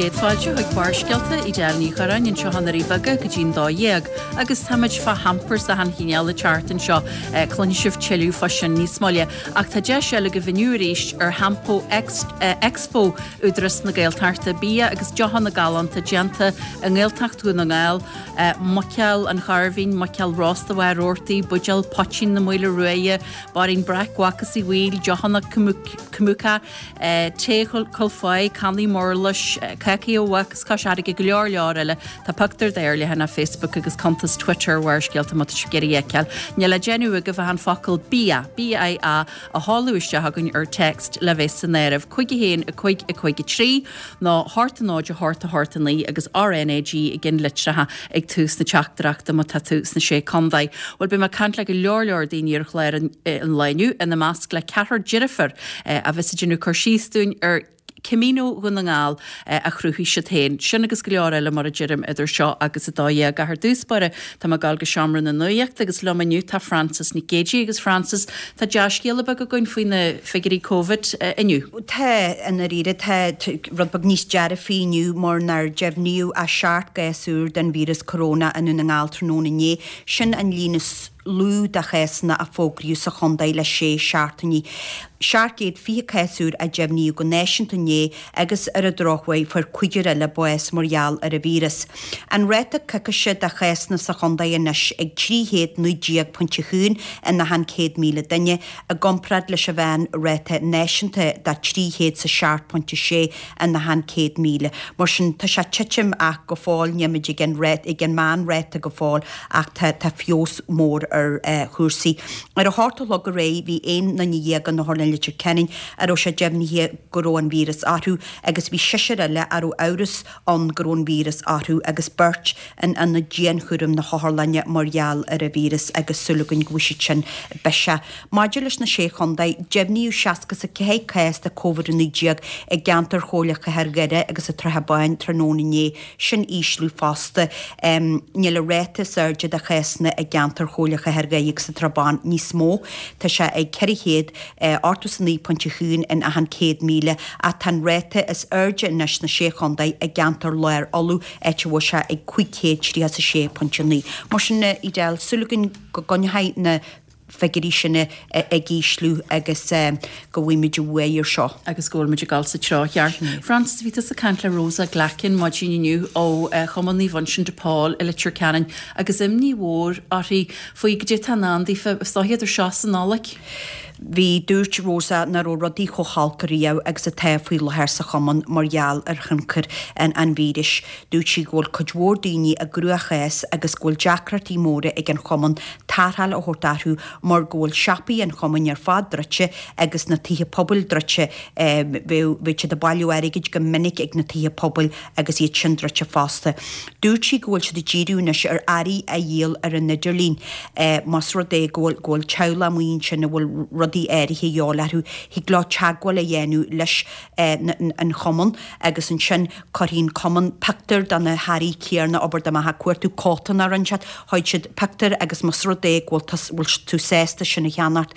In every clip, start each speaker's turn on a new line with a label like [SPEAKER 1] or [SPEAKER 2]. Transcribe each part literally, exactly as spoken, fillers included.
[SPEAKER 1] Céad fáilte chuig Barrscéalta Edel Ní Churráin anseo i nDoirí Beaga go dtí'n dó dhéag, agus táimid fá hampers achan chineál ag teacht anseo cluinfidh sibh tuilleadh fá sin níos moille, ach tá deis eile agaibh inniu arís ar Hampo Expo Údarás na Gaeltachta bia agus deochanna galánta déanta i nGaeltacht Dhún na nGall, muiceoil an Ghairbhín, muiceoil rósta Mhaigh Roarty, buidéal poitín na Maoile Ruaidhe, Bairín Breac Mhac is Uí Bhaoill, deochanna kombucha, tae Chúil Faigh, cannaí murlais, cácaí ó Mhac is Cois Fharraige go leor leor eile. Tá pictiúr de ar leathanach Facebook agus cuntas Twitter Bharrscéalta má tá sibh ag iarraidh a fheiceáil. Níl le déanamh agaibh ach an focal bia, B I A, a sheoladh isteach againn ar text le bheith san áireamh. Cúig a haon a cúig a cúig a trí nó hocht a náid a hocht a hocht a naoi agus R N A G i gceannlitreacha ag tús na teachtaireachta má tá tú sna sé contae. Well beidh mé ag caint le go leor leor daoine ar chlár an, an lae inniu ina measc le ceathrar deirfiúr a bheas ag déanamh cur síos dúinn ar Camino Dhún na nGall a chruthaigh siad féin. Sin agus go leor eile mar a deirim idir seo agus a dó dhéag ar dtús báire tá mé ag gabháil go seomra na nuachta agus liom inniu tá Frances Nic Géadaigh agus Frances tá dea-scéala beag againn faoi na figiúirí Covid inniu.
[SPEAKER 2] Tá i ndáiríre tá rud beag níos dearfaí inniu mar nár deimhníodh ach seacht gcás úr den víreas corona i nDún na nGall tráthnóna inné sin an líon is lú de chásanna a fógraíodh sa chontae le sé seachtainí. Seacht gcéad fiche cás úr a deimhníodh go náisiúnta inné agus ar an drochuair fuair cúigear eile bás mar gheall ar an víreas. An ráta coicíse de chásanna sa chontae anois ag trí chéad naoi déag pointe haon in achan céad míle duine i gcomparáid leis an mheánráta náisiúnta de trí chéad sa seacht pointe sé in achan céad míle. Mar sin tá sé titim ach go fóill nílimid ag an ag an meánráta go fóill ach tá tá feabhas mór ar uh, chúrsaí. Ar a hocht a chlog aréir bhí aon duine dhéag in Otharlann Leitir Ceanainn a raibh sé deimhnithe go raibh an víreas orthu agus bhí seisear eile a raibh amhras ann go raibh an víreas orthu agus beirt in ionad dianchúraim na hotharlainne mar gheall ar an víreas agus súil againn go bhfuil siad sin biseach. Maidir leis na sé chontae, deimhníodh seasca sa ceathair cás de Covid naoi déag i gceantar Chomhairle Chathair Dhoire agus an tSratha Báin tráthnóna inné sin ísliú fosta. Um, Níl an ráta is airde de chásanna i gceantar Chomhairle Chathair Dhoire agus an tSratha Báin níos mó Tá sé ag ceithre chéad ochtó is a naoi pointe haon in achan céad míle ach tá an ráta is airde anois sna sé chontae i gceantar Lár Uladh áit a bhfuil sé ag cúig chéad tríocha a sé pointe naoi. Mar sin Edel súil againn go gcoinneoidh na figiúirí sin ag ísliú agus go bhfuimid uaidh ar seo.
[SPEAKER 1] Agus go bhfuil muid ag dul sa treo cheart. Frances bhí tú ag caint le Rosa Glackin maidin inniu ó Chumann Naomh Uinseann de Pól i Leitir Ceanainn agus imní mhór uirthi faoi goidé atá i ndán daofa idir seo is an Nollaig.
[SPEAKER 2] Bhí dúirt Rosa nach raibh rudaí chomh holc riamh agus atá faoi láthair sa chumann mar gheall ar thionchar an, an víris. Dúirt sí go bhfuil cuid mhór daoine i gcruachás agus go bhfuil deacrachtaí móra ag an chumann tarrtháil a thabhairt orthu mar go bhfuil siopaí an chumainn ar fad druidte agus na tithe pobail druidte bhí siad ag bailiú airgid go minic ag na tithe pobail agus iad sin druidte fosta. Dúirt sí go bhfuil siad ag díriú anois ar earraí a dhíol ar an idirlíon más rud é go bhfuil go bhfuil teaghlach amuigh ansin a bhfuil rudaí áirithe de dhíobháil orthu, thig leo teagmháil a dhéanamh leis an chumann agus ansin cuirfidh an cumann pictiúr de na hearraí céanna abair dá mbeifeá ag cuartú cóta nó rud inteacht, gheobhaidh siad pictiúr agus más rud é go bhfuil tú sásta sin a cheannacht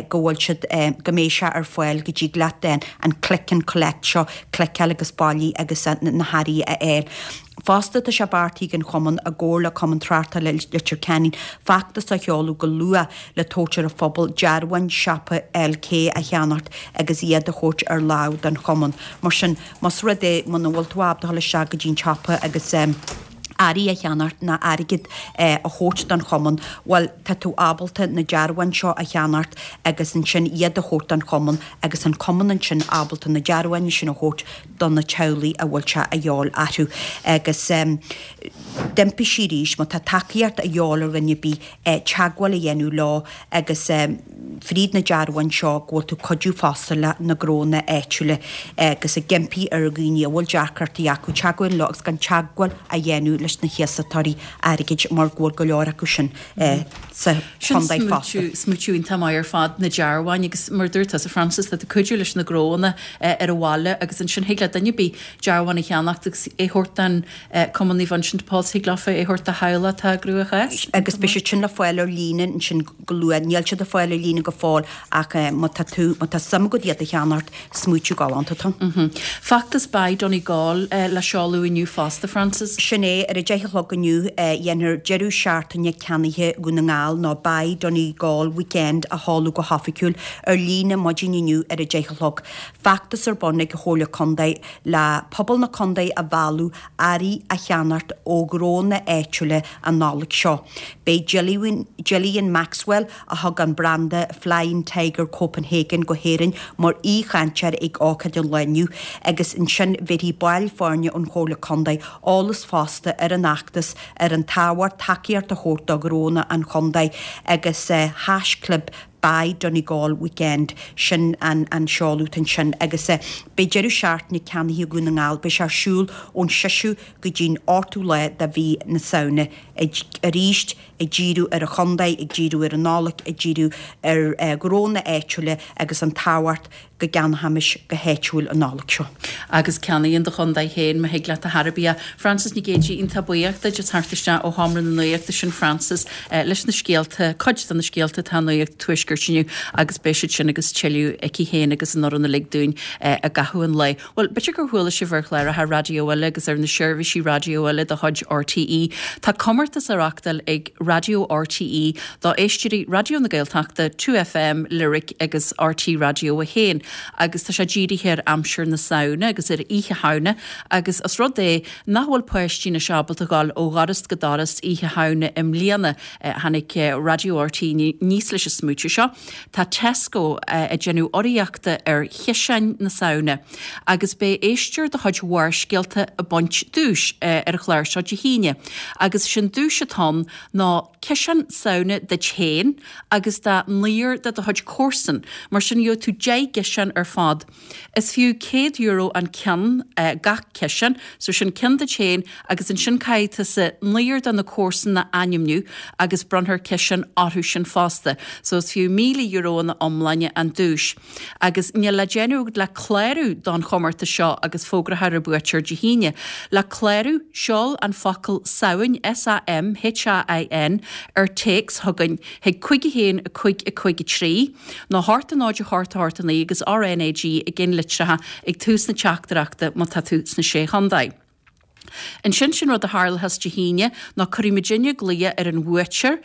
[SPEAKER 2] go bhfuil siad go mbeidh sé ar fáil go dtig leat an click and collect seo cliceáil agus bailigh agus na hearraí a fháil. Fosta tá sé beartaithe ag an chumann i gcomhar le Cumann Tráchtála Leitir Ceanainn feachtas a sheoladh go luath le tabhairt ar an phobal dearbháin siopa L K a cheannacht agus iad a thabhairt ar lámh don chumann. Mar sin más rud é muna bhfuil tú ábalta dul isteach go dtí an siopa agus um, earraí a cheannacht ná airgead eh, a thabhairt don chumann, well tá tú ábalta na dearbháin seo a cheannacht agus ansin iad a thabhairt don chumann agus an cumann ansin ábalta na dearbháin sin a thabhairt do na teaghlaigh a bhfuil sé a dhíobháil orthu agus um, d'impigh sí arís má tá tacaíocht a dhíobháil ar dhuine ar bith eh, teagmháil a dhéanamh leo agus um, fríd na dearbháin seo go bhfuil tú cuidiú fosta le na gnónna áitiúla agus ag impí ar dhaoine a bhfuil deacrachtaí acu teagmháil leo agus gan teagmháil a dhéanamh leis na hiasachtóirí airgid mar go bhfuil go leor acu sin eh, sa chontae fosta.
[SPEAKER 1] Smaoineamh iontach maith ar fad na dearbháin agus mar dúirt a Frances le cuidiú leis na gnónna eh, ar an bhaile agus ansin thig le duine ar bith dearbhán a cheannacht agus é thabhairt don Cumann Naomh Uinseann de Pól thig leofa é thabhairt do theaghlach atá i gcruachás.
[SPEAKER 2] Agus beidh siad sin le fáil ar líne ansin go luath níl siad le fáil ar líne go go fóill ach má tá tú má tá suim agat iad a cheannacht smaoitiú galánta atá ann.
[SPEAKER 1] Feachtas Buy Donegal le seoladh inniu fosta, Frances.
[SPEAKER 2] Sin é ar a deich a chlog inniu dhéanfar deireadh seachtaine ceannaithe Dhún na nGall nó Buy Donegal Weekend a sheoladh go hoifigiúil ar líne maidin inniu ar a deich a chlog. Feachtas ar bun ag an Chomhairle Contae le pobal na contae a mhealladh earraí a cheannacht ó ghnónna áitiúla an Nollaig seo. Beidh Gillian Maxwell a thug an branda Flying Tiger Copenhagen go hÉirinn mar aoichainteoir ag ócáid an lae inniu agus ansin bhéarfaidh baill foirne ón Chomhairle Contae eolas fosta ar an fheachtas ar an tábhacht tacaíocht a thabhairt do ghnónna an chontae agus haischlib Buy Donegal Weekend sin an an seoladh ansin agus beidh deireadh seachtaine ceannaithe Dhún na nGall beidh sé ar siúl ón seisiú go dtí'n ochtú lá de mhí na Samhna arís ag díriú ar an chontae ag díriú ar an Nollaig ag díriú ar ghnónna áitiúla agus an tábhacht go gceannóimis go háitiúil an Nollaig seo.
[SPEAKER 1] Agus ceannaigh in do chontae féin má thig leat a thairbhe. Frances Nic Géadaigh iontach buíoch duit as theacht isteach ó Sheomra na Nuachta sin Frances leis na scéalta, cuid de na scéalta atá nuacht tuaiscirt inniu agus beidh siad sin agus tuilleadh aici féin agus an fhoireann uilig dúinn i gcaitheamh an lae. Well, b'fhéidir gur chuala sibh ar chláracha raidió eile agus ar na seirbhísí raidió eile de chuid RTÉ. Tá comórtas á reáchtáil ag Raidió RTÉ do éisteoirí Raidió na Gaeltachta, Two FM, Lyric agus RTÉ Raidió a haon agus tá sé dírithe ar aimsir na Samhna agus ar oíche Shamhna agus os rud é nach bhfuil páistí anois ábalta dul ó dhoras go doras oíche Shamhna i mbliana tháinig Raidió RTÉ aníos leis an smaoineamh seo. Tá Tesco ag déanamh urraíochta ar chiseáin na Samhna agus beidh éisteoir de chuid Bharrscéalta ag baint duais ar an chlár seo Dé hAoine agus sin duais atá ann ná ciseán Samhna duit féin agus do naonúr de do chuid comharsan, mar sin gheobhaidh tú deich gciseán ar fad. Is fiú céad euro an ceann gach ciseán, so sin ceann duit féin agus ansin caithfidh tusa naonúr de na comharsan a ainmniú agus bronnfar ciseán orthu sin fosta. So is fiú míle euro ina iomláine an duais. Agus níl le déanamh le clárú don chomórtas seo agus fógrófar an buaiteoir Dé hAoine. Le clárú seol an focal Samhain S-A-M-H-A-I-N ar téacs chugainn chuig cúig a haon a cúig a cúig a trí, nó a hocht a náid a hocht a hocht a naoi agus RNAG i gceannlitreacha ag tús na teachtaireachta má tá tú sna sé chontae. Ansin sin rud a tharlós Dé hAoine ná cuirfidh muidinne glao ar an bhuaiteoir,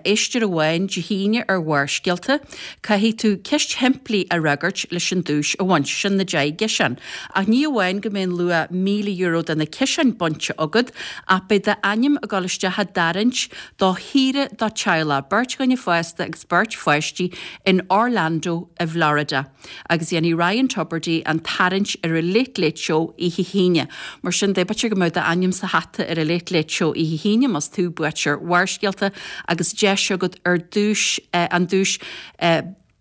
[SPEAKER 1] éisteoir amháin Dé hAoine ar Bharrscéalta. Caithfidh tú ceist shimplí a fhreagairt leis an duais a bhaint, sin na deich gciseán. Ach ní amháin go mbeidh an luach míle euro de na ciseáin bainte agat, ach beidh d'ainm ag dul isteach i dtarraingt do shaoire do theaghlach, beirt dhuine fásta agus beirt pháistí in Orlando i bhFlorida. Agus dhéanfaidh Ryan Tubridy an tarraingt ar an Late Late Show oíche hAoine. Mar sin de b'fhéidir go mbeidh d'ainm sa hata ar an Late Late Show oíche hAoine más tú buaiteoir Bharrscéalta agus deis agat ar duais an duais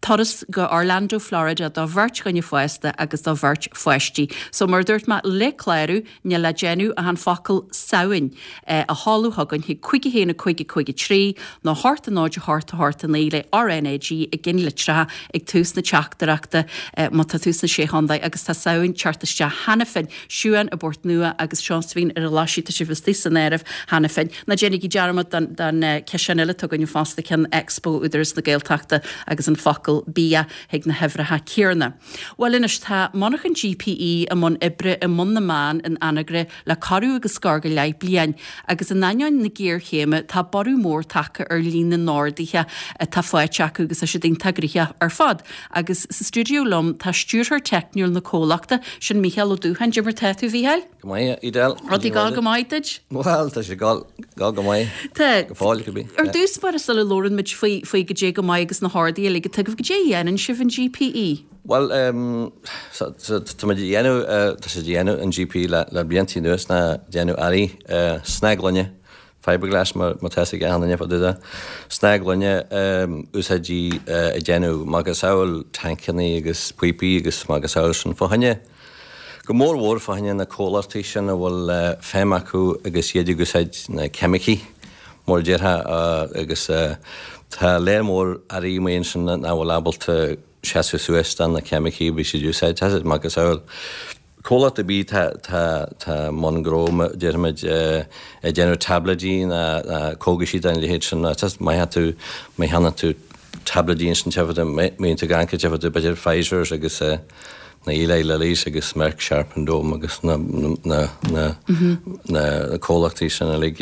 [SPEAKER 1] turas go Orlando, Florida do bheirt dhuine fásta agus do bheirt pháistí. So mar dúirt mé le clárú níl le déanamh ach an focal Samhain a sheoladh chugainn chuig cúig a haon a cúig a cúig a trí nó a hocht a náid a hocht a hocht a naoi le RNAG i gceannlitreacha ag tús na teachtaireachta má tá tú sna sé chontae agus tá Samhain ag teacht isteach cheana féin Siuán i bPort Nua agus Seosaimhín ar an Ghlaisigh tá sibh istigh san áireamh cheana féin. Ná déanaigí dearmad den den ciseán eile atá againn fosta ceann Expo Údarás na Gaeltachta agus an focal bia chuig na huimhreacha céanna. Bhuel anois tá monarchan GPE i mbun oibre i mBun na mBan in Anagaire le corradh agus scor go leith bliain agus in ainneoin na géarchéime tá borradh mór tagtha ar líon na n-orduithe atá faighte acu agus tá siad iontach gnoitheach ar fad. Agus sa stiúideo liom tá stiúrthóir teicniúil na comhlachta, sin Mícheál Ó Dúcháin. Cad é mar tá tú, a Mhícheáil?
[SPEAKER 3] Go maith, Edel.
[SPEAKER 1] Rudaí ag gabháil go maith duit?
[SPEAKER 3] Bhuel, tá sé ag gabháil go maith.
[SPEAKER 1] Tá.
[SPEAKER 3] Go fóill, cibé.
[SPEAKER 1] Ar dtús báire sula labhrann muid faoi faoi goidé go maith agus na horduithe uilig atá agaibh, goidé a dhéanann sibh in GPE?
[SPEAKER 3] Bhuel, tá muid ag déanamh, tá sé ag déanamh in GPE le le blianta anuas ná déanamh earraí snáthghloine, fiberglass mar má tá a fhios ag achan duine fá dtaobh de, snáthghloine úsáidí ag déanamh macasamhail tancannaí agus píopaí agus macasamhail sin fá choinne, go mór mhór fá choinne na comhlachtaí sin a bhfuil feidhm acu agus iad ag úsáid na ceimicí mar a déarfá agus tá léar mór earraí amuigh ansin nach bhfuil ábalta seasamh suas do na ceimicí a bhí siad ag úsáid. Tá siad macasamhail comhlacht ar bith tá tá tá i mbun gnó déarfaimid ag déanamh táibléidí ná cógaisí den leithéid sin. Tá má tú má cheannaíonn tú tablaidí ansin tá fhios agat mbíonn tú ag amharc tá fhios agat b'fhéidir Pfizer's agus na Eli Lilly's agus Merck Sharp and Dohme agus na na na na comhlachtaí sin uilig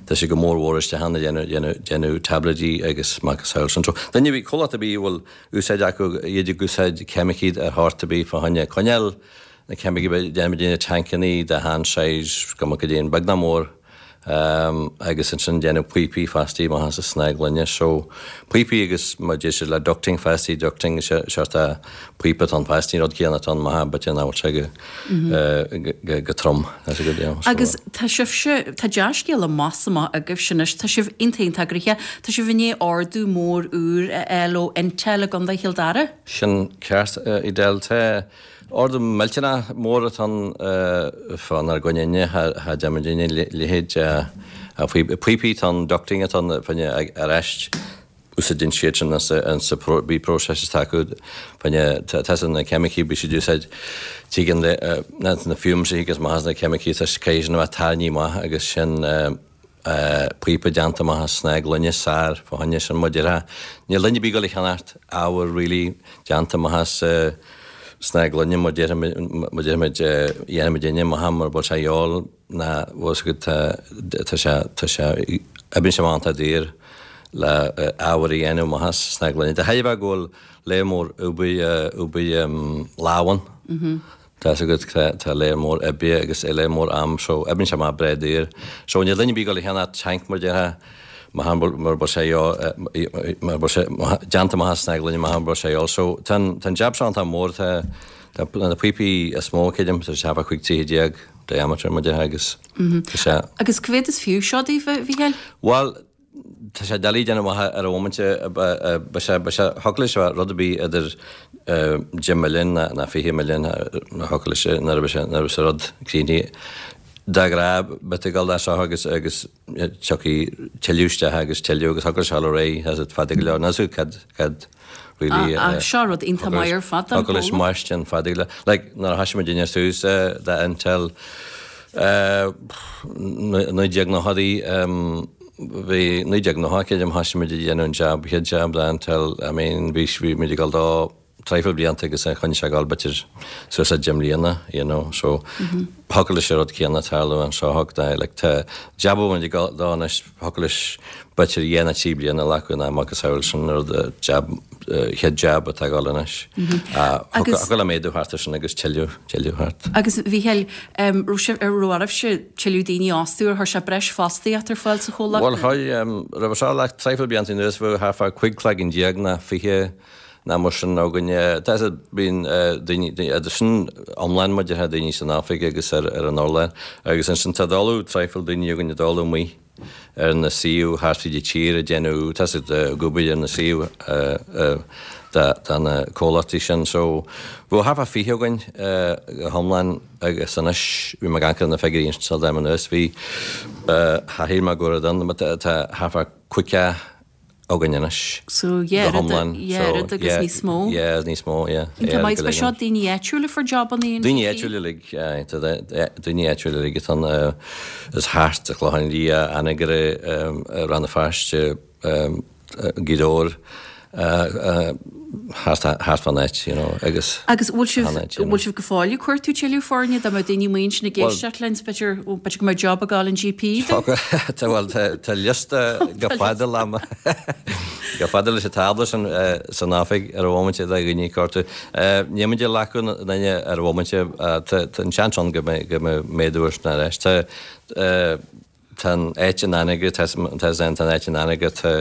[SPEAKER 3] tá sé go mór mhór isteach ann ag déanamh déanamh déanamh tablaidí agus macasamhail sin. So duine ar bith comhlacht ar bith a bhfuil úsáid acu iad ag úsáid ceimicí ar shórt ar bith fá choinne coinneáil na ceimicí déanamh déanamh tancannaí de achan size go go dtí an beag ná mór agus ansin déanamh píopaí fostaí amach as an snáth gloine. So píopaí agus mar deir siad le ducting fostaí ducting seort píopa atá ann fostaí rud céanna atá ann maith but nach bhfuil sé go go go trom that's a good deal. So,
[SPEAKER 1] Agus tá sibhse tá dea-scéal amach is amach agaibhse anois, tá sibh iontach iontach gnoitheach, tá sibh i ndiaidh ordú mór úr a fháil ó Intel i gContae Chill Dara.
[SPEAKER 3] Sin ceart Edel tá ordú millteanach mór atá ann fánár gcoinne inne cha dtearn muidinne leithéid píopaí atá ann ducting atá ann fá choinne ar ais úsáideann siad sin an sa bí process atá acu fá choinne tá na ceimicí bí siad úsáid tuigeann na na fumes agus maith as na ceimicí tá caithfidh sin a bheith tarraingthe amach agus sin píopa déanta amach as snáth gloine sár fá choinne sin mar déarfá níl duine ar bith ag dul a cheannacht ábhar really déanta amach as snáth gloine mar déarfaimid dhéanfaimid inne amach mar bhfuil sé dhíol ná bhfuil sé tá tá sé tá sé oibríonn sé amach iontach daor le ábhar a dhéanamh amach as snáth gloine. De thairbhe go bhfuil léar mór obair obair lámh ann. Tá a fhios agat tá léar mór oibre agus léar mór am so oibríonn sé amach breá daor. So níl duine ar bith ag dul a cheannacht tank mar déarfá mar mar bhfuil sé mar bhfuil sé déanta amach as snáth gloine mar bhfuil sé dhíol. So tá an jab seo iontach mór tá tá na píopaí is mó creidim tá sé thart fá cúig troigh déag diameter mar déarfá agus tá sé
[SPEAKER 1] Agus cá mhéad is fiú seo daoibh a Mhícheáil?
[SPEAKER 3] Bhuel tá sé doiligh déanamh amach ar an mhóimint ba sé ba sé thiocfadh leis rud ar bith idir deich milliún ná fiche milliún thiocfadh leis nuair a bheidh sé nuair a bheidh sé rud críochnaithe. De ghnáth beidh tú ag dul dá seo agus agus tiocfaidh tuilleadh isteach agus tuilleadh agus thiocfadh leis dul ar aghaidh as it fada go leor. Níl a fhios agat cad cad really
[SPEAKER 1] Ach seo rud iontach maith ar fad don
[SPEAKER 3] thiocfadh leis
[SPEAKER 1] chomhlacht.
[SPEAKER 3] mairstin fada go leor. Like nuair a thoisigh muid inne suas de Intel naoi déag nóchaidí bhí naoi déag nócha creidim thoisigh muid ag déanamh an jab chéad jab de Intel I mean bhí bhí muid ag dul dó traidhfil blianta agus choinnigh sé ag dul b'fhéidir suas le deich mbliana you know so thiocfadh leis an rud céanna tarlú anseo thug tá like tá jab a bhfuil muid ag dul dó anois thiocfadh leis b'fhéidir dhá nó trí bliana a ghlacadh ná macasamhail sin rud jab chéad jab atá ag dul anois.
[SPEAKER 1] Agus-
[SPEAKER 3] Thiocfadh le méadú thart air sin agus tuilleadh tuilleadh thart.
[SPEAKER 1] Agus Mhícheáil raibh sibh ar raibh oraibhse tuilleadh daoine a fhostú ar chuir sé breis fostaíocht ar fáil sa chomhlacht?
[SPEAKER 3] Bhuel chuir roimhe seo le traidhfil blianta anuas bheadh thart fá cúig cloigeann déag ná fiche ná mar sin againn. Tá bíonn daoine idir sin iomlán mar déarfá daoine san oifig agus ar ar an urlár agus ansin tá dul traidhfil daoine againn ag dul amuigh ar na suíomh thart fríd an tír ag déanamh tá siad ag obair ar na suíomh de na comhlachtaí sin. So bheadh thart fá fiche againn go hiomlán agus anois bhí mé ag amharc ar na figiúirí ansin am anuas bhí thar shíl mé go raibh ann tá thart fá caoga againn anois.
[SPEAKER 1] So yeah,
[SPEAKER 3] Go hiomlán.
[SPEAKER 1] yeah,
[SPEAKER 3] So,
[SPEAKER 1] rud agus
[SPEAKER 3] yeah,
[SPEAKER 1] níos mó.
[SPEAKER 3] Yeah, níos mó, yeah.
[SPEAKER 1] Tá maith seo daoine áitiúla fuair jabanna
[SPEAKER 3] Daoine áitiúla uilig, tá daoine áitiúla uilig atá is thart a Chlochán Liath, Anagaire, Rann na Feirste, Gaoth Dobhair, thart thart fán áit, you know, agus
[SPEAKER 1] Agus bhfuil sibh
[SPEAKER 3] An áit, you know.
[SPEAKER 1] bhfuil sibh go fóill ag cuartú tuilleadh foirne dá mbeadh daoine amuigh ansin ag éisteacht linn b'fhéidir b'fhéidir go mbeadh job ag gabháil an GP do?
[SPEAKER 3] Tá bhuel tá liosta go fada le go fada leis an tábla sin san oifig ar an mhóimint de dhaoine ag cuartú. Níl muid ag glacadh duine ar an mhóimint tá an seans ann go mbeidh go mbeidh méadú air sin ar ais. Tá tá an áit in Anagaire tá tá an áit in Anagaire tá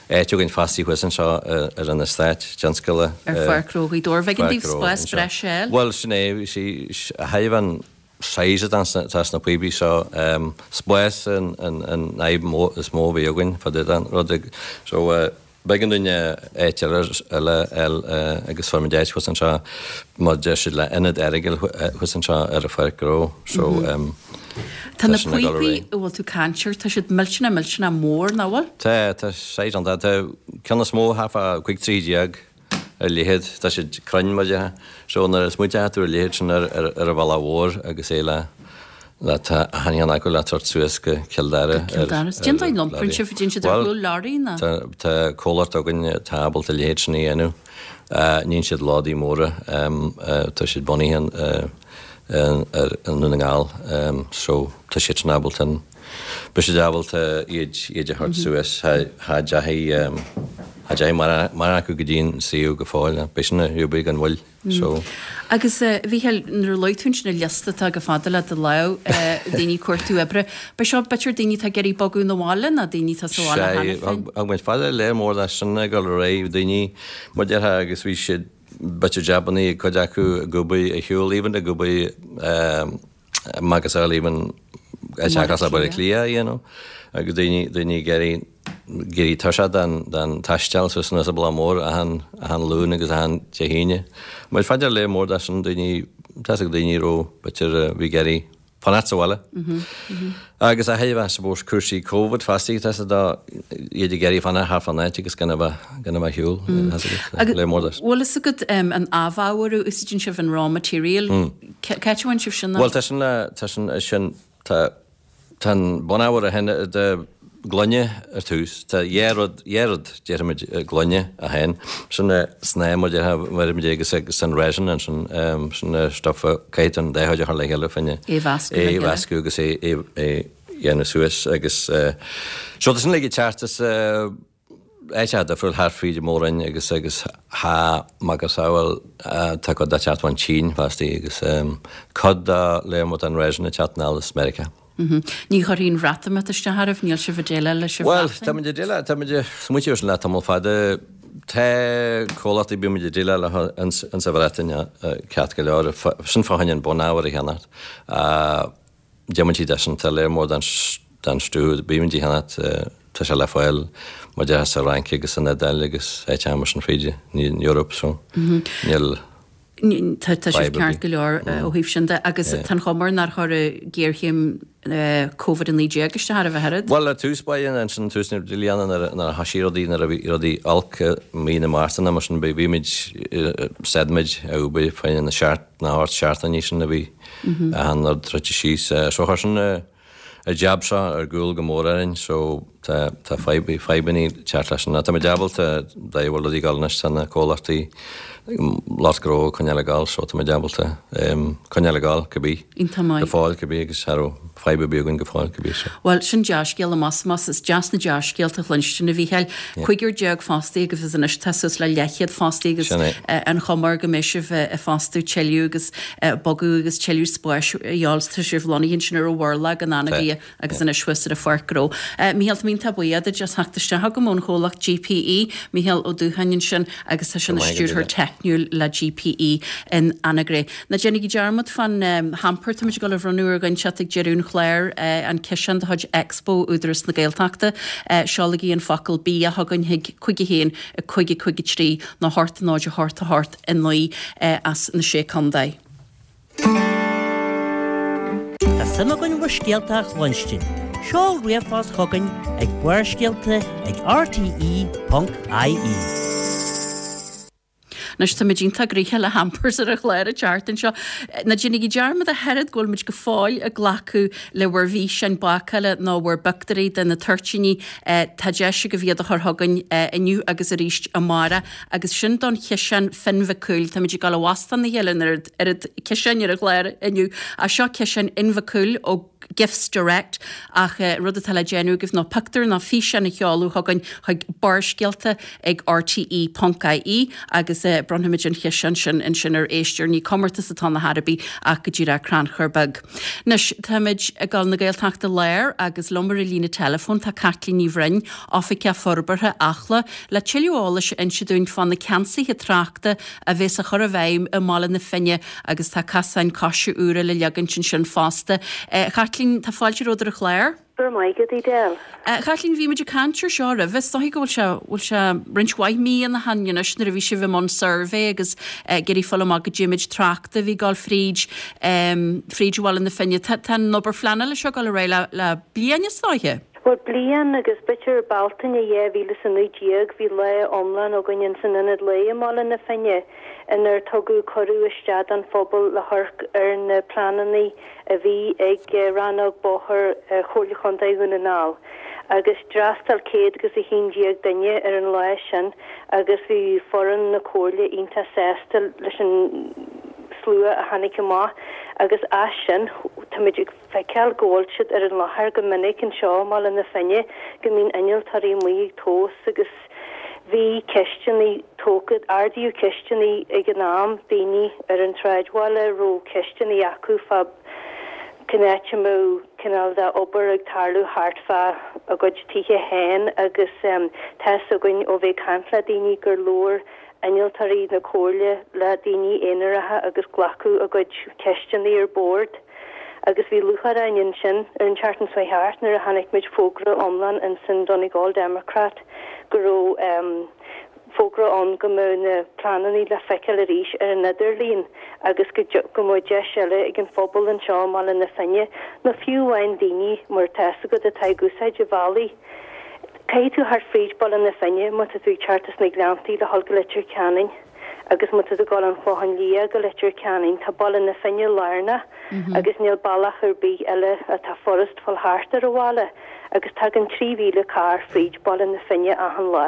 [SPEAKER 3] áit againn fostaí thuas anseo ar an eastát tionscail.
[SPEAKER 1] Ar Pháirc Ghnó Ghaoth Dobhair bheidh an daoibh spás breise eile?
[SPEAKER 3] Bhuel sin é sí thaobh an size atá tá sna píopaí seo spás an an an fhadhb is mó a bhí againn fá dtaobh den rud so b'éigean dúinn áit eile eile agus fuair muid áit thuas anseo mar deir siad le ionad Errigal thuas anseo ar an pháirc ghnó so
[SPEAKER 1] Tá na
[SPEAKER 3] sin ag dul ar
[SPEAKER 1] píopaí
[SPEAKER 3] aghaidh.
[SPEAKER 1] a bhfuil tú caint air, tá siad millteanach millteanach mór nach bhfuil?
[SPEAKER 3] Tá tá size an tá ceann is mó thart fá cúig troigh déag ar leithead tá siad cruinn mar déarfá so nuair is muid tú ar leithead sin ar ar ar an bhealach mhór agus é le Le tá achan cheann acu le tabhairt suas go Cill Dara.
[SPEAKER 1] Go Cill Dara. Cén dóigh a n-iomparann sibh, déanann siad ar chúl leoraí nó?
[SPEAKER 3] Tá comhlacht againn atá ábalta a leithéid sin a dhéanamh. Níonn siad lódaí móra, tá siad bunaithe i nDún na nGall so tá siad sin ábalta an, beidh siad ábalta iad iad a thabhairt suas. Cha dteachaigh cha dteachaigh mórán acu go dtí an suíomh go fóill. Beidh sin ar siúl gan mhoill. So.
[SPEAKER 1] Agus a Mhícheáil, nuair a luaigh tú ansin an liosta atá chomh fada le do lámh, daoine ag cuartú oibre, ba seo b'fhéidir daoine atá ag iarraidh bogadh 'na bhaile nó daoine atá sa bhaile cheana
[SPEAKER 3] féin? Sea, thug muid fá dear léar mór de sin ag dul ar aghaidh, daoine, mar déarfá, agus bhí siad, b'fhéidir jabannaí ag cuid acu ag obair ar shiúl even ag obair macasamhail even áit cosúil le Baile Átha Cliath, you know, agus daoine, daoine ag iarraidh, ag éirí tuirseach den, den taisteal suas anuas an bealach mór achan, achan Luan agus achan Dé hAoine. Muid fá dear léar mór de sin, daoine, tá's ag daoine a raibh, b'fhéidir, a bhí ag iarraidh fanacht sa bhaile. Agus a thuilleadh, I suppose, cúrsaí Covid fosta, tá's ag iad ag iarraidh fanacht thart fán áit agus gan a bheith, gan a bheith ar shiúl, tá's agat, léar mór de sin.
[SPEAKER 1] Bhfuil fhios agat an amhábhar a úsáideann sibh, an raw material, cá háit a bhfaigheann sibh sin?
[SPEAKER 3] Bhuel, tá sin le, tá sin, sin, tá, Tá an bunábhar a théann de gloine ar tús. Tá dhá rud, dhá rud, déarfaimid, gloine a théann. Sin na snáth, mar déarfá, déarfaimid agus agus an resin ansin, sin na stuff a caithfidh tú an dá chuid a chur le chéile fá choinne
[SPEAKER 1] É mheascadh le
[SPEAKER 3] é
[SPEAKER 1] chéile.
[SPEAKER 3] mheascadh agus é é é dhéanamh suas agus so tá sin uilig ag teacht as áiteacha difriúil thart fríd an Mór-Roinn agus agus thá macasamhail tá cuid de ag teacht ón tSín fostaí agus cuid de léar mór den resin ag teacht anall as Meiriceá.
[SPEAKER 1] Ní chuirfidh an Bhreatimeacht isteach oraibh, níl sibh ag déileáil leis an
[SPEAKER 3] Bhuel,
[SPEAKER 1] Bhreatain?
[SPEAKER 3] táimid ag déileáil, táimid ag smaointiú air sin le tamall fada. Tá comhlachtaí bímid ag déileáil leo ins sa Bhreatain ceart go leor, sin fá choinne an bunábhar a cheannacht. Diomaite de sin, tá léar mór den den stuif a bímid a cheannacht, tá sé le fáil mar déarfá sa Fhrainc agus san Iodáil agus áiteacha mar sin fríd an Eoraip so níl
[SPEAKER 1] Tá tá sibh
[SPEAKER 3] fadhb ar
[SPEAKER 1] ceart
[SPEAKER 3] bith.
[SPEAKER 1] go leor ó thaobh sin de agus tá an chuma air nár chuir géarchéim Covid a naoi déag isteach oraibh ach oiread.
[SPEAKER 3] Bhuel, ar tús báire ansin, tús na bliana nuair a thoisigh rudaí, nuair a bhí rudaí olc i mí na Márta nó mar sin, bhí muid, stad muid ag obair fá choinne na seacht, na hocht seachtainí sin a bhí achan rud druidte síos. So chuir sin an jab seo ar gcúl go mór orainn so tá tá fadhb fadhbannaí ag teacht leis sin. Tá muid ábalta dá bhfuil rudaí ag dul anois tá na comhlachtaí lucht gnó ag coinneáil ag dul so tá muid ábalta coinneáil ag dul cibé
[SPEAKER 1] Iontach maith.
[SPEAKER 3] go fóill cibé agus cha raibh fadhb ar bith againn go fóill cibé so.
[SPEAKER 1] Bhuel, sin dea-scéal amach is is deas na dea-scéalta a chluinstin, a Mhícheáil. Cúigear déag fostaí agaibh agus anois tá suas le leathchéad fostaí agus
[SPEAKER 3] Sin é.
[SPEAKER 1] an chuma air go mbeidh sibh ag fostú tuilleadh agus bogadh agus tuilleadh spáis a fháil. Tá sibh lonnaithe ansin ar an Mhurlach in Anagaire agus anois thuas ar an Pháirc Ghnó. Mícheál, tá mé iontach buíoch duit as theacht isteach chugam ón chomhlacht GPE, Mícheál Ó Dúcháin ansin agus tá sé ina stiúrthóir teicniúil le GPE in Anagaire. Ná déanaigí dearmad fán hamper táimid ag dul a bhronnadh ar dhuine inteacht ag deireadh an chláir, an ciseán de chuid Expo Údarás na Gaeltachta. Seolaigí an focal 'bia' chugainn chuig cúig a haon, a cúig a cúig a trí nó a hocht a náid a hocht a hocht a naoi as na Sé Contae.
[SPEAKER 4] Tá suim againn bhur scéalta a chluinstin. Seol ríomhphost chugainn ag Barrscéalta ag rte ponc ie.
[SPEAKER 1] Anois táimid iontach gnoitheach le hampers ar an chlár an tseachtain seo. Ná déanaigí dearmad ach oiread go bhfuil muid go fóill ag glacadh le bhur bhfíseáin bácála nó bhur bpioctúirí de na toirtíní. Tá deis agaibh iad a chur chugainn inniu agus arís amárach. Agus sin don chiseán Finn Mhic Cumhaill. Táimid ag dul i bhfostán a chéile an oiread oiread ciseáin ar an chlár inniu. Ach seo ciseán Fhinn Mhic Cumhaill ó Gifts Direct ach rud atá le déanamh agaibh ná pictiúr nó físeán a sheoladh chugainn chuig Barrscéalta ag rte ponc ie agus bronnfaimid an ciseán sin ansin ar éisteoir. Ní comórtas atá ann ar chor ar bith ach go díreach crannchur beag. Anois táimid ag dul na Gaeltachta Láir agus liom ar an líne teileafóin tá Caitlín Ní Bhroin, Oifigeach Forbartha Acla, le tuilleadh eolais a inse dúinn fá na ceansaithe tráchta a bheas á chur i bhfeidhm i mBaile na Finne agus tá casáin coise úra le leagaint ansin fosta. Caitlín, tá fáilte romhat ar an chlár.
[SPEAKER 5] Go raibh maith agat, Edel.
[SPEAKER 1] Caitlín, bhí muid ag caint ar seo roimhe, is dóigh go bhfuil sé, bhfuil sé roinnt mhaith míonna ó shin anois nuair a bhí sibh i mbun suirbhé agus ag iarraidh fáil amach goidé méid tráchta a bhí ag dul fríd, fríd Bhaile na Finne. Tá, tá an obair phleanála seo ag dul ar aghaidh le, le bliain is dóiche?
[SPEAKER 5] Bhuel, bliain agus b'fhéidir Bealtaine dhá mhíle is a naoi déag bhí lá iomlán againn ins an Ionad Lae i mBaile na Finne inar tugadh cuireadh isteach don phobal le hamharc ar na pleananna a bhí ag Rannóg Bóthair Chomhairle Chontae Dhún na nGall agus d'fhreastail céad agus a haon déag duine ar an lá sin agus bhí foireann na Comhairle iontach sásta leis an slua a tháinig amach agus as sin táimid ag feiceáil go bhfuil siad ar an láthair go minic anseo i mBaile na Finne, go mbíonn innealtóirí amuigh ag tomhas agus bhí ceisteanna tógtha, ardaíodh ceisteanna ag an am, daoine ar an tsráidbhaile a raibh ceisteanna acu fá cén áit a mbeadh cineál de obair ag tarlú thart fá a gcuid tithe féin agus tá's againn ó bheith ag caint le daoine gur labhair innealtóirí na Comhairle le daoine aonaracha agus glacadh a gcuid ceisteanna ar bord agus bhí lúcháir orainn ansin ar an tseachtain seo thart nuair a chonaic muid fógra iomlán ins an Donegal Democrat go raibh fógra ann go mbeadh na pleananna le feiceáil arís ar an idirlíon agus go go mbeadh deis eile ag an phobal anseo i mBaile na Finne nó fiú amháin daoine mar tá's agat atá ag úsáid an bhealaigh Caithfidh tú theacht fríd Baile na Finne má tá tú ag teacht as na Gleanntaí le dhul go Leitir Ceanainn agus má tá tú ag dul ón Chlochán Liath go Leitir Ceanainn tá Baile na Finne lárnach agus níl bealach ar bith eile atá furast fáil thart ar an bhaile agus tagann trí mhíle carr fríd Baile na Finne achan lá.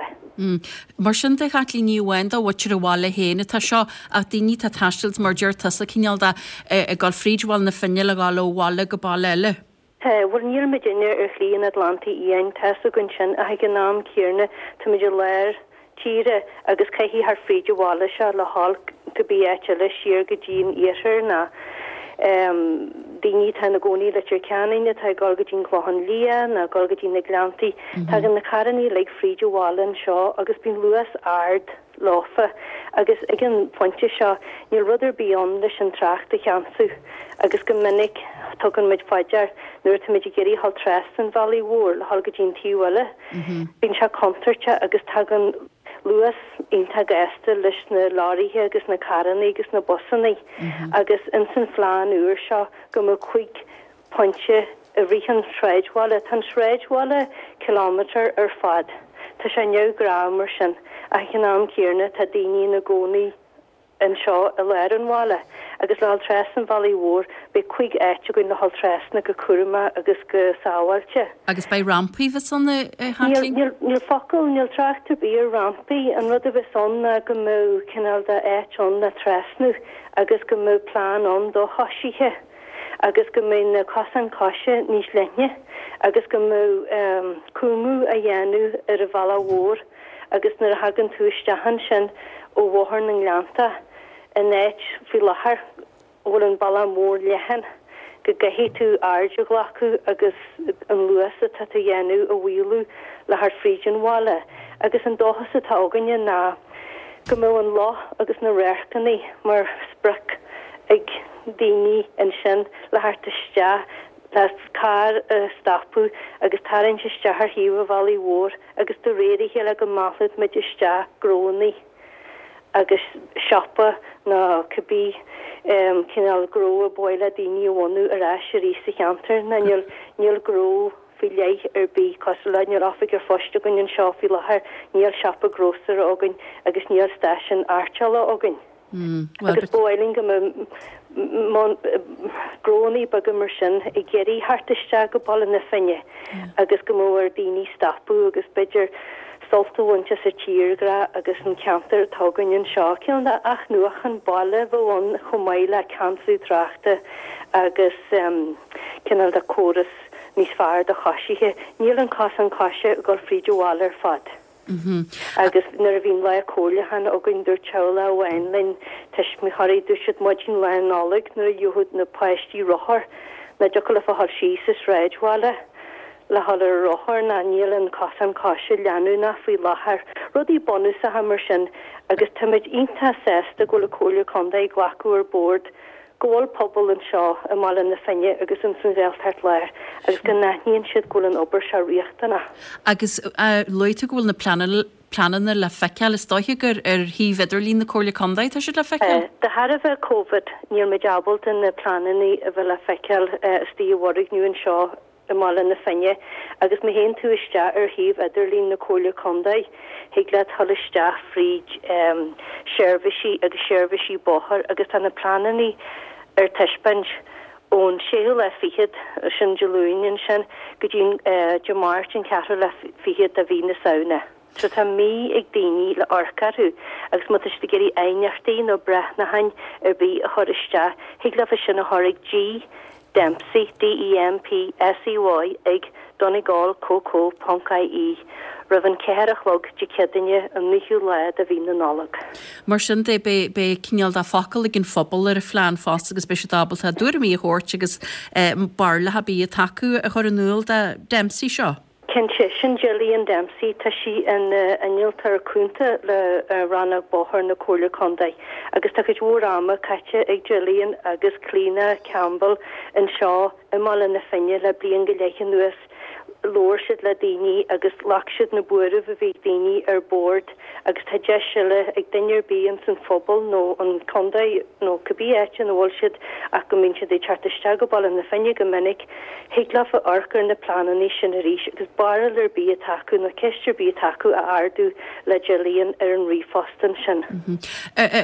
[SPEAKER 1] Mar sin de, a Chaitlín, ní amháin do mhuintir an bhaile féin atá seo ach daoine atá ag taisteal mar deir tusa cineál de ag dul fríd Bhaile na Finne le dhul ó bhaile go baile eile.
[SPEAKER 5] Tá, bhuel níl muidinne ar Shlí an Atlantaigh Fhiáin, tá's againn sin, ach ag an am céanna táimid i lár tíre agus caithfidh theacht fríd an bhaile seo le dhul cibé áit eile siar go dtí an iarthar ná daoine atá ina gcónaí i Leitir Ceanainn atá ag dul go dtí an Clochán Liath ná ag dul go dtí na Gleanntaí. Tagann na carrannaí uilig fríd an bhaile anseo agus bíonn luas ard. leofa agus ag an phointe seo níl rud ar bith ann leis an trácht a cheansú agus go minic tugann muid fá dear nuair atáimid ag iarraidh dhul trasna an bhealaigh mhóir le dhul go dtí an taobh eile bíonn sé contúirteach agus tagann luas iontach gasta leis na leoraithe agus na carrannaí agus na busannaí agus ins an phlean úr seo go mbeadh cúig pointe i rith an tsráidbhaile. Tá an sráidbhaile cileámeter ar fad. Tá sé neamhghnách mar sin ach ag an am céanna tá daoine ina gcónaí anseo i lár an bhaile agus le dhul trasna an bhealaigh mhóir beidh cúig áit againn le dhul trasna go cúramach agus go sábháilte.
[SPEAKER 1] Agus beidh rampaí bheas ann a Chaitlín?
[SPEAKER 5] Níl, níl focal, níl trácht ar bith ar rampaí. An rud a bheas ann ná go mbeadh cineál de áit ann le trasnú agus go mbeadh plean ann do choisithe. agus go mbeidh na cosáin coise níos leithne agus go mbeadh cúngú á dhéanamh ar an bhealach mhór agus nuair a thagann tú isteach ansin ó Bhóthar na nGleannta in áit faoi láthair a bhfuil an bealach mór leathan go gcaithfidh tú aird a ghlacadh agus an luas atá tú a dhéanamh a mhaolú le theacht fríd an bhaile agus an dóchas atá againne ná go mbeadh an loch agus na radharcanna mar sprioc ag daoine ansin le theacht isteach le carr a stopadh agus tarraingt isteach ar thaobh an bhealaigh mhóir agus de réir a chéile go meallfadh muid isteach gnónnaí agus siopa nó cibé cineál gnó a ba mhaith le daoine a bhunú ar ais arís sa cheantar nó níl níl gnó faoi leith ar bith cosúil le níl oifig an phoist againn anseo faoi láthair, níl siopa grósaera againn agus níl stáisiún airteála againn. Agus ba mhaith linn go mbeadh gnónnaí beaga mar sin ag iarraidh theacht isteach go Baile na Finne agus go mbeadh ar daoine stopadh agus b'fhéidir sult a bhaint as an tírdhreach agus an ceantar atá againn anseo. Cineál de athnuachan baile a bheadh ann chomh maith le ceansú tráchta agus cineál de córas níos fearr do choisithe. Níl an cosán coise ag dul fríd an bhaile ar fad. Agus nuair a bhí an lá comhairliúcháin againn dúirt teaghlach amháin linn, tuismitheoirí, dúirt siad maidin Lá Nollag nuair a gheobhadh na páistí rothar nach dtiocfadh leofa dhul síos an sráidbhaile le dhul ar a rothar ná níl an cosán coise leanúnach faoi láthair. Rudaí bunúsacha mar sin agus táimid iontach sásta go bhfuil an Comhairle Contae ag glacadh ar bord go bhfuil pobal anseo i mBaile na Finne agus ins an Ghaeltacht Láir agus go n-aithníonn siad go bhfuil an obair seo riachtanach.
[SPEAKER 1] Agus luaigh tú go bhfuil na pleananna le feiceáil, is dóiche gur ar shuíomh idirlín na Comhairle Contae atá siad le feiceáil?
[SPEAKER 5] De thairbhe Covid níl muid ábalta na pleananna a bheith le feiceáil istigh i bhfoirgneamh anseo i mBaile na Finne agus má théann tú isteach ar shuíomh idirlín na Comhairle Contae thig leat dhul isteach fríd seirbhísí agus seirbhísí bóthair agus tá na pleananna ar taispeáint ón séú lá fichead, sin Dé Luain ansin, go dtí Dé Máirt an ceathrú lá fichead de mhí na Samhna. So tá mí ag daoine le amharc orthu agus má tá siad ag iarraidh aighneachtaí nó breathnacháin ar bith a chur isteach, thig leofa sin a chur ag G Dempsey, D-E-M-P-S-E-Y, ag donegal co co ponc ie roimh an ceathair a chlog Dé Céadaoine an naoú lá de mhí na Nollag.
[SPEAKER 1] Mar sin de, beidh beidh cineál de focal ag an phobal ar an phlean fosta agus beidh siad ábalta a dtuairimí a thabhairt agus barúlacha ar bith atá acu a chur in iúl do Dempsey seo.
[SPEAKER 5] Cinnte, sin Gillian Dempsey, tá sí ina innealtóir cúnta le Rannóg Bóthair na Comhairle Contae agus tá cuid mhór ama caite ag Gillian agus Clíona Campbell anseo i mBaile na Finne le bliain go leith anuas. Labhair siad le daoine agus ghlac siad na buairimh a bhí ag daoine ar bord agus tá deis eile ag duine ar bith ins an phobal nó an contae nó cibé áit ina bhfuil siad ach go mbíonn siad ag teacht isteach go Baile na Finne go minic, thig leofa amharc ar na pleananna sin arís agus barúil ar bith atá acu nó ceist ar bith atá acu a ardú le Gillian ar an ríomhphost ansin.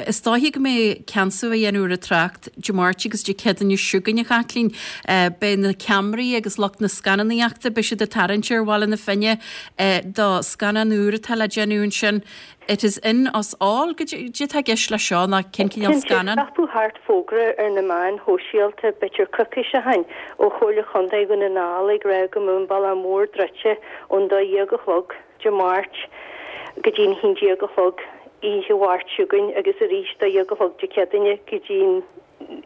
[SPEAKER 1] Is dóiche go mbeidh ceansú á dhéanamh ar an trácht Dé Máirt agus Dé Céadaoine seo chugainn, a Chaitlín. Beidh na ceamaraí agus lucht na scannánaíochta, beidh siad ag tarraingt ar Bhaile na Finne do scannán úr atá le déanamh ansin. It is in us all. Cad é atá i gceist leis seo ná cén cineál
[SPEAKER 5] Cinnte,
[SPEAKER 1] scannán?
[SPEAKER 5] scaipeadh thart fógra ar na meáin shóisialta b'fhéidir coicís ó shin ó Chomhairle Chontae Dhún na nGall ag rá go mbeadh an Bealach Mór druidte ón dó dhéag a chlog Dé Máirt go dtí'n haon déag a chlog oíche Mháirt seo chugainn agus arís dó dhéag a chlog Dé Céadaoine go dtí'n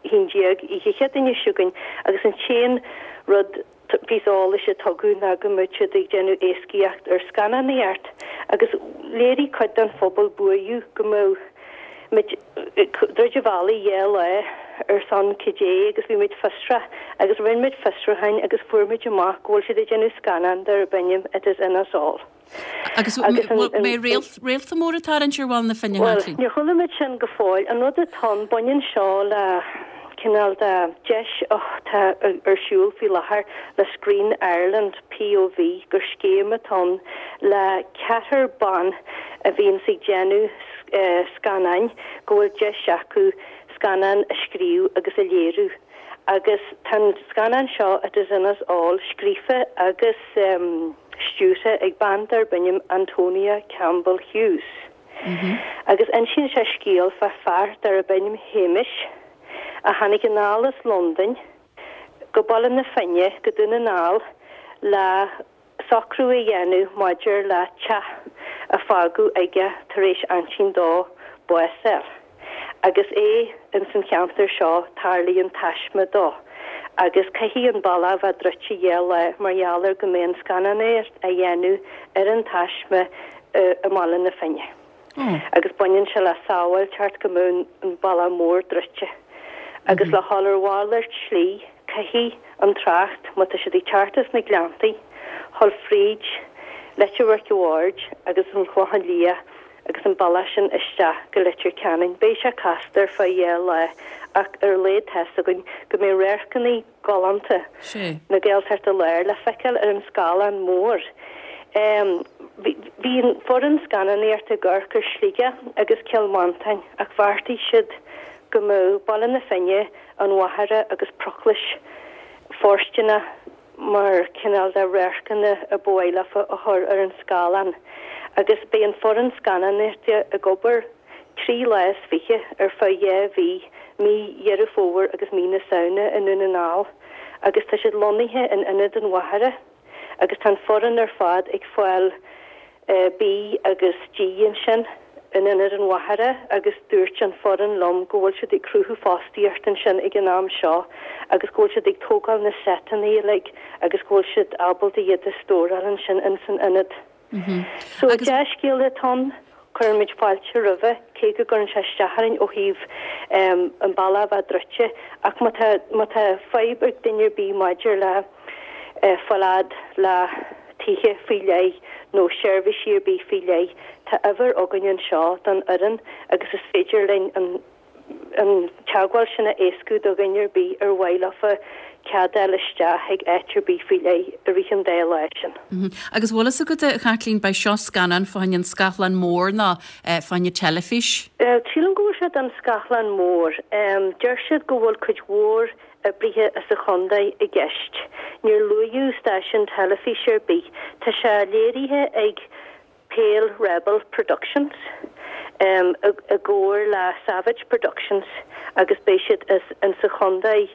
[SPEAKER 5] haon déag oíche Chéadaoine seo chugainn agus an t-aon rud píosa eolais a tugadh ná go mbeadh siad ag déanamh éascaíocht ar scannánaíocht agus léirigh cuid den phobal buaireamh go mbeadh muid ag druid an bhealaigh dhá lá ar son cad é agus bhí muid fiosrach agus rinne muid fiosrúcháin agus fuair muid amach go bhfuil siad ag déanamh scannán darb ainm It Is In Us All.
[SPEAKER 1] Agus mbeidh réalta mór ag tarraingt ar Bhaile na Finne,
[SPEAKER 5] Bhuel,
[SPEAKER 1] Chaitlín?
[SPEAKER 5] níor chuala muid sin go fóill. An rud atá ann, baineann seo le cineál de deis atá ar siúl faoi láthair le Screen Ireland, POV, gur scéim atá ann le ceathrar ban a bhíonns ag déanamh scannáin go bhfuil deis acu scannán a scríobh agus a léiriú. Agus tá an scannán seo, It Is In Us All, scríofa agus stiúrtha ag bean darb ainm Antonia Campbell Hughes. Agus insíonn sé scéal fá fear darb ainm Hamish a tháinig anall as Londain go Baile na Finne, go Dún na nGall, le socrú a dhéanamh maidir le teach a fágadh aige tar éis aintín dó bás a fháil. Agus é ins an cheantar seo tarlaíonn taisme dó agus caithfidh an bealach bheith druidte dhá lá mar gheall ar go mbeidh an scannánaíocht á dhéanamh ar an taisme i mBaile na Finne. Agus baineann sé le sábháilteacht go mbeadh an bealach mór druidte. Agus le dhul ar mhalairt slí caithfidh an trácht, má tá siad ag teacht as na Gleanntaí, dhul fríd Leitir Mhic a' Bhaird agus an Clochán Liath agus an bealach sin isteach go Leitir Ceanainn. Beidh sé casta ar feadh dhá lá ach ar a laghad tá's againn go mbeidh radharcanna galánta na Gaeltachta Láir le feiceáil ar an scáileán mór. Bhí an foireann scannánaíochta ag amharc ar Sligeach agus Cill Mhantáin ach bheartaigh siad go mbeadh Baile na Finne, an Mhachaire agus Proclais fóirsteanach mar chineál de radharcanna a ba mhaith leofa a chur ar an scáileán agus beidh an foireann scannánaíochta ag obair trí lá is fiche ar feadh dhá mhí, mí Dheireadh Fómhair agus mí na Samhna i nDún na nGall agus tá siad lonnaithe in Ionad an Mhachaire agus tá an foireann ar fad ag fáil bídh agus dí ansin in Ionad an Mhachaire agus dúirt an foireann liom go bhfuil siad ag cruthú fostaíocht ansin ag an am seo agus go bhfuil siad ag tógáil na seiteanna uilig agus go bhfuil siad ábalta iad a stóráil ansin ins an ionad. So dea-scéal atá ann, cuireann muid fáilte roimhe, cé go gcuireann sé isteach orainn ó thaobh an bealach a bheith druidte ach má tá má tá fadhb ag duine ar bith maidir le fáil fhad le tithe faoi leith nó seirbhísí ar bith faoi leith, tá uimhir againn anseo don fhoireann agus is féidir linn an an teagmháil sin a éascú do dhuine ar bith ar mhaith leofa cead a fháil isteach ag áit ar bith faoi leith i rith an dá lá sin.
[SPEAKER 1] Agus bhfuil fhios agat, a Chaitlín, beidh seo scannán fá choinne an scáthlán mór nó fá choinne teilifís?
[SPEAKER 5] Sílim go bhfuil sé don scáthlán mór. Deir siad go bhfuil cuid mhór oibrithe as an chontae i gceist. Níor luaíodh stáisiún teilifíse ar bith. Tá sé léirithe ag Pale Rebel Productions i gcomhar le Savage Productions agus beidh siad insa chontae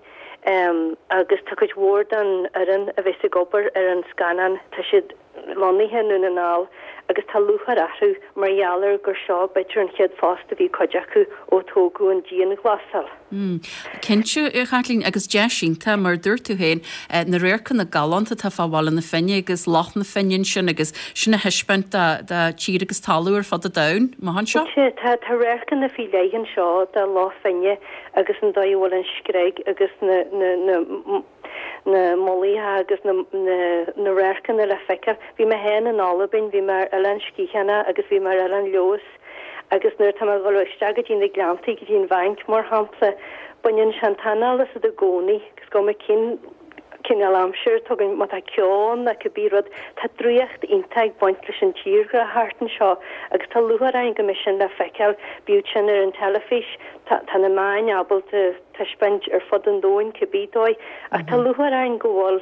[SPEAKER 5] agus tá cuid mhór den fhoireann a bheas ag obair ar an scannán, tá siad lonnaithe i nDún na nGall agus tá lúcháir orthu mar gheall ar gur seo b'fhéidir an chéad phost a bhí cuid acu ó tógadh an dianghlasáil.
[SPEAKER 1] Cinnte, a Chaitlín, agus deis iontach, mar a dúirt tú féin, na radharcanna galánta atá fá Bhaile na Finne agus Loch na Finne ansin agus sin a thaispeáint do tír agus talamh ar fud an domhain, amach anseo.
[SPEAKER 5] Cinnte, tá radharcanna faoi leith anseo de Loch Finne agus an dóigh a bhfuil an screig agus na na na mullaigh agus na na radharcanna le feiceáil. Bhí mé féin in Albain, bhí mé ar Oileán Sgitheanach agus bhí mé ar Oileán Leodhas agus nuair atá mé ag dul isteach go dtí na Gleanntaí, go dtí an Bhank mar shampla, baineann sé an t-anáil asat i gcónaí is cuma cén cineál aimsir atá againn, má tá ceo ann nó cibé rud, tá draíocht iontach ag baint leis an tírdhreach thart anseo agus tá lúcháir orainn go mbeidh sin le feiceáil, bíodh sin ar an teilifís, tá tá na meáin ábalta taispeáint ar fud an domhain cibé dóigh ach tá lúcháir orainn go bhfuil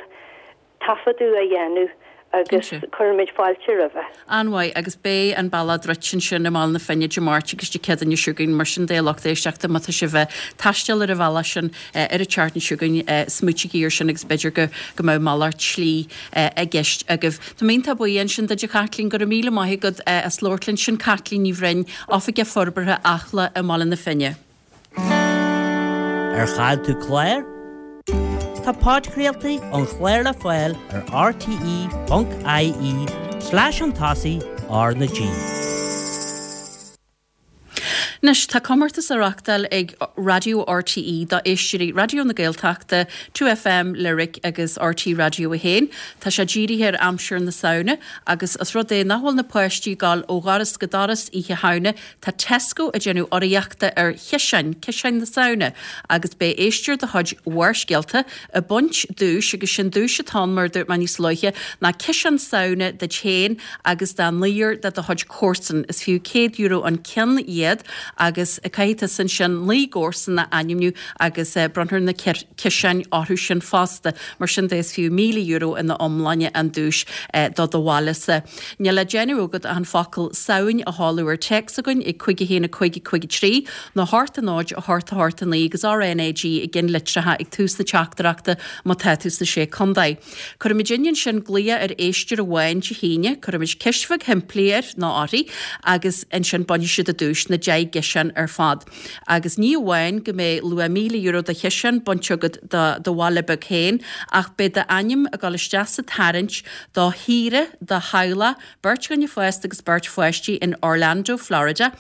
[SPEAKER 5] taifeadadh á dhéanamh agus cuirimid fáilte roimhe.
[SPEAKER 1] An-mhaith, agus beidh an bealach druidte ansin i mBaile na Finne Dé Máirt agus Dé Céadaoine seo chugainn, mar sin de a lucht éisteachta, má tá sibh ag taisteal ar an bhealach sin ar an tseachtain seo chugainn, smaoitígí air sin agus b'fhéidir go go mbeadh malairt slí i gceist agaibh. Tá mé iontach buí ansin duit a Chaitlín, go raibh míle maith agat as labhairt linn. Sin Caitlín Ní Bhroin, Oifigeach Forbartha Acla i mBaile na Finne.
[SPEAKER 4] Ar chaill tú clár? Tá podchraoltaí an chláir le fáil ar rte ponc ie slash chun tosaigh R na G.
[SPEAKER 1] Anois, tá comórtas á reáchtáil ag Raidió RTÉ do éisteoirí Raidió na Gaeltachta, Two FM, Lyric agus RTÉ Raidió a haon. Tá sé dírithe ar aimsir na Samhna agus os rud é nach bhfuil na páistí ag gabháil ó dhoras go doras Oíche Shamhna, Tá Tesco ag déanamh urraíochta ar chiseáin, ciseáin na Samhna, agus beidh éisteoir de chuid Bharrscéalta ag baint duais, agus sin duais atá ann, mar a dúirt mé níos luaithe, ná ciseán Samhna duit féin agus do naonúr de do chuid comharsan. Is fiú céad euro an ceann iad agus caithfidh tusa ansin naoi gcomharsan a ainmniú agus bronnfar na ciseáin orthu sin fosta. Mar sin de is fiú míle euro ina iomláine an duais do do bhailesa. Níl le déanamh agat ach an focal Samhain a sheoladh ar téacs chugainn ag cúig a haon a cúig a cúig a trí nó a hocht a náid a hocht a hocht a naoi agus RNAG i gceannlitreacha ag tús na teachtaireachta má tá tú sna Sé Contae. Cuirfimid ansin glaoch ar éisteoir amháin Dé hAoine, cuirfimid ceist bheag shimplí air nó uirthi agus ansin bainfidh siad an duais, na deich gciseán ar fad. Agus ní amháin go mbeidh luach míle euro de chiseán bainte agat do do bhaile beag féin ach beidh d'ainm ag dul isteach sa tarraingt do shaoire do theaghlach, beirt dhuine fásta agus beirt pháistí in Orlando, Florida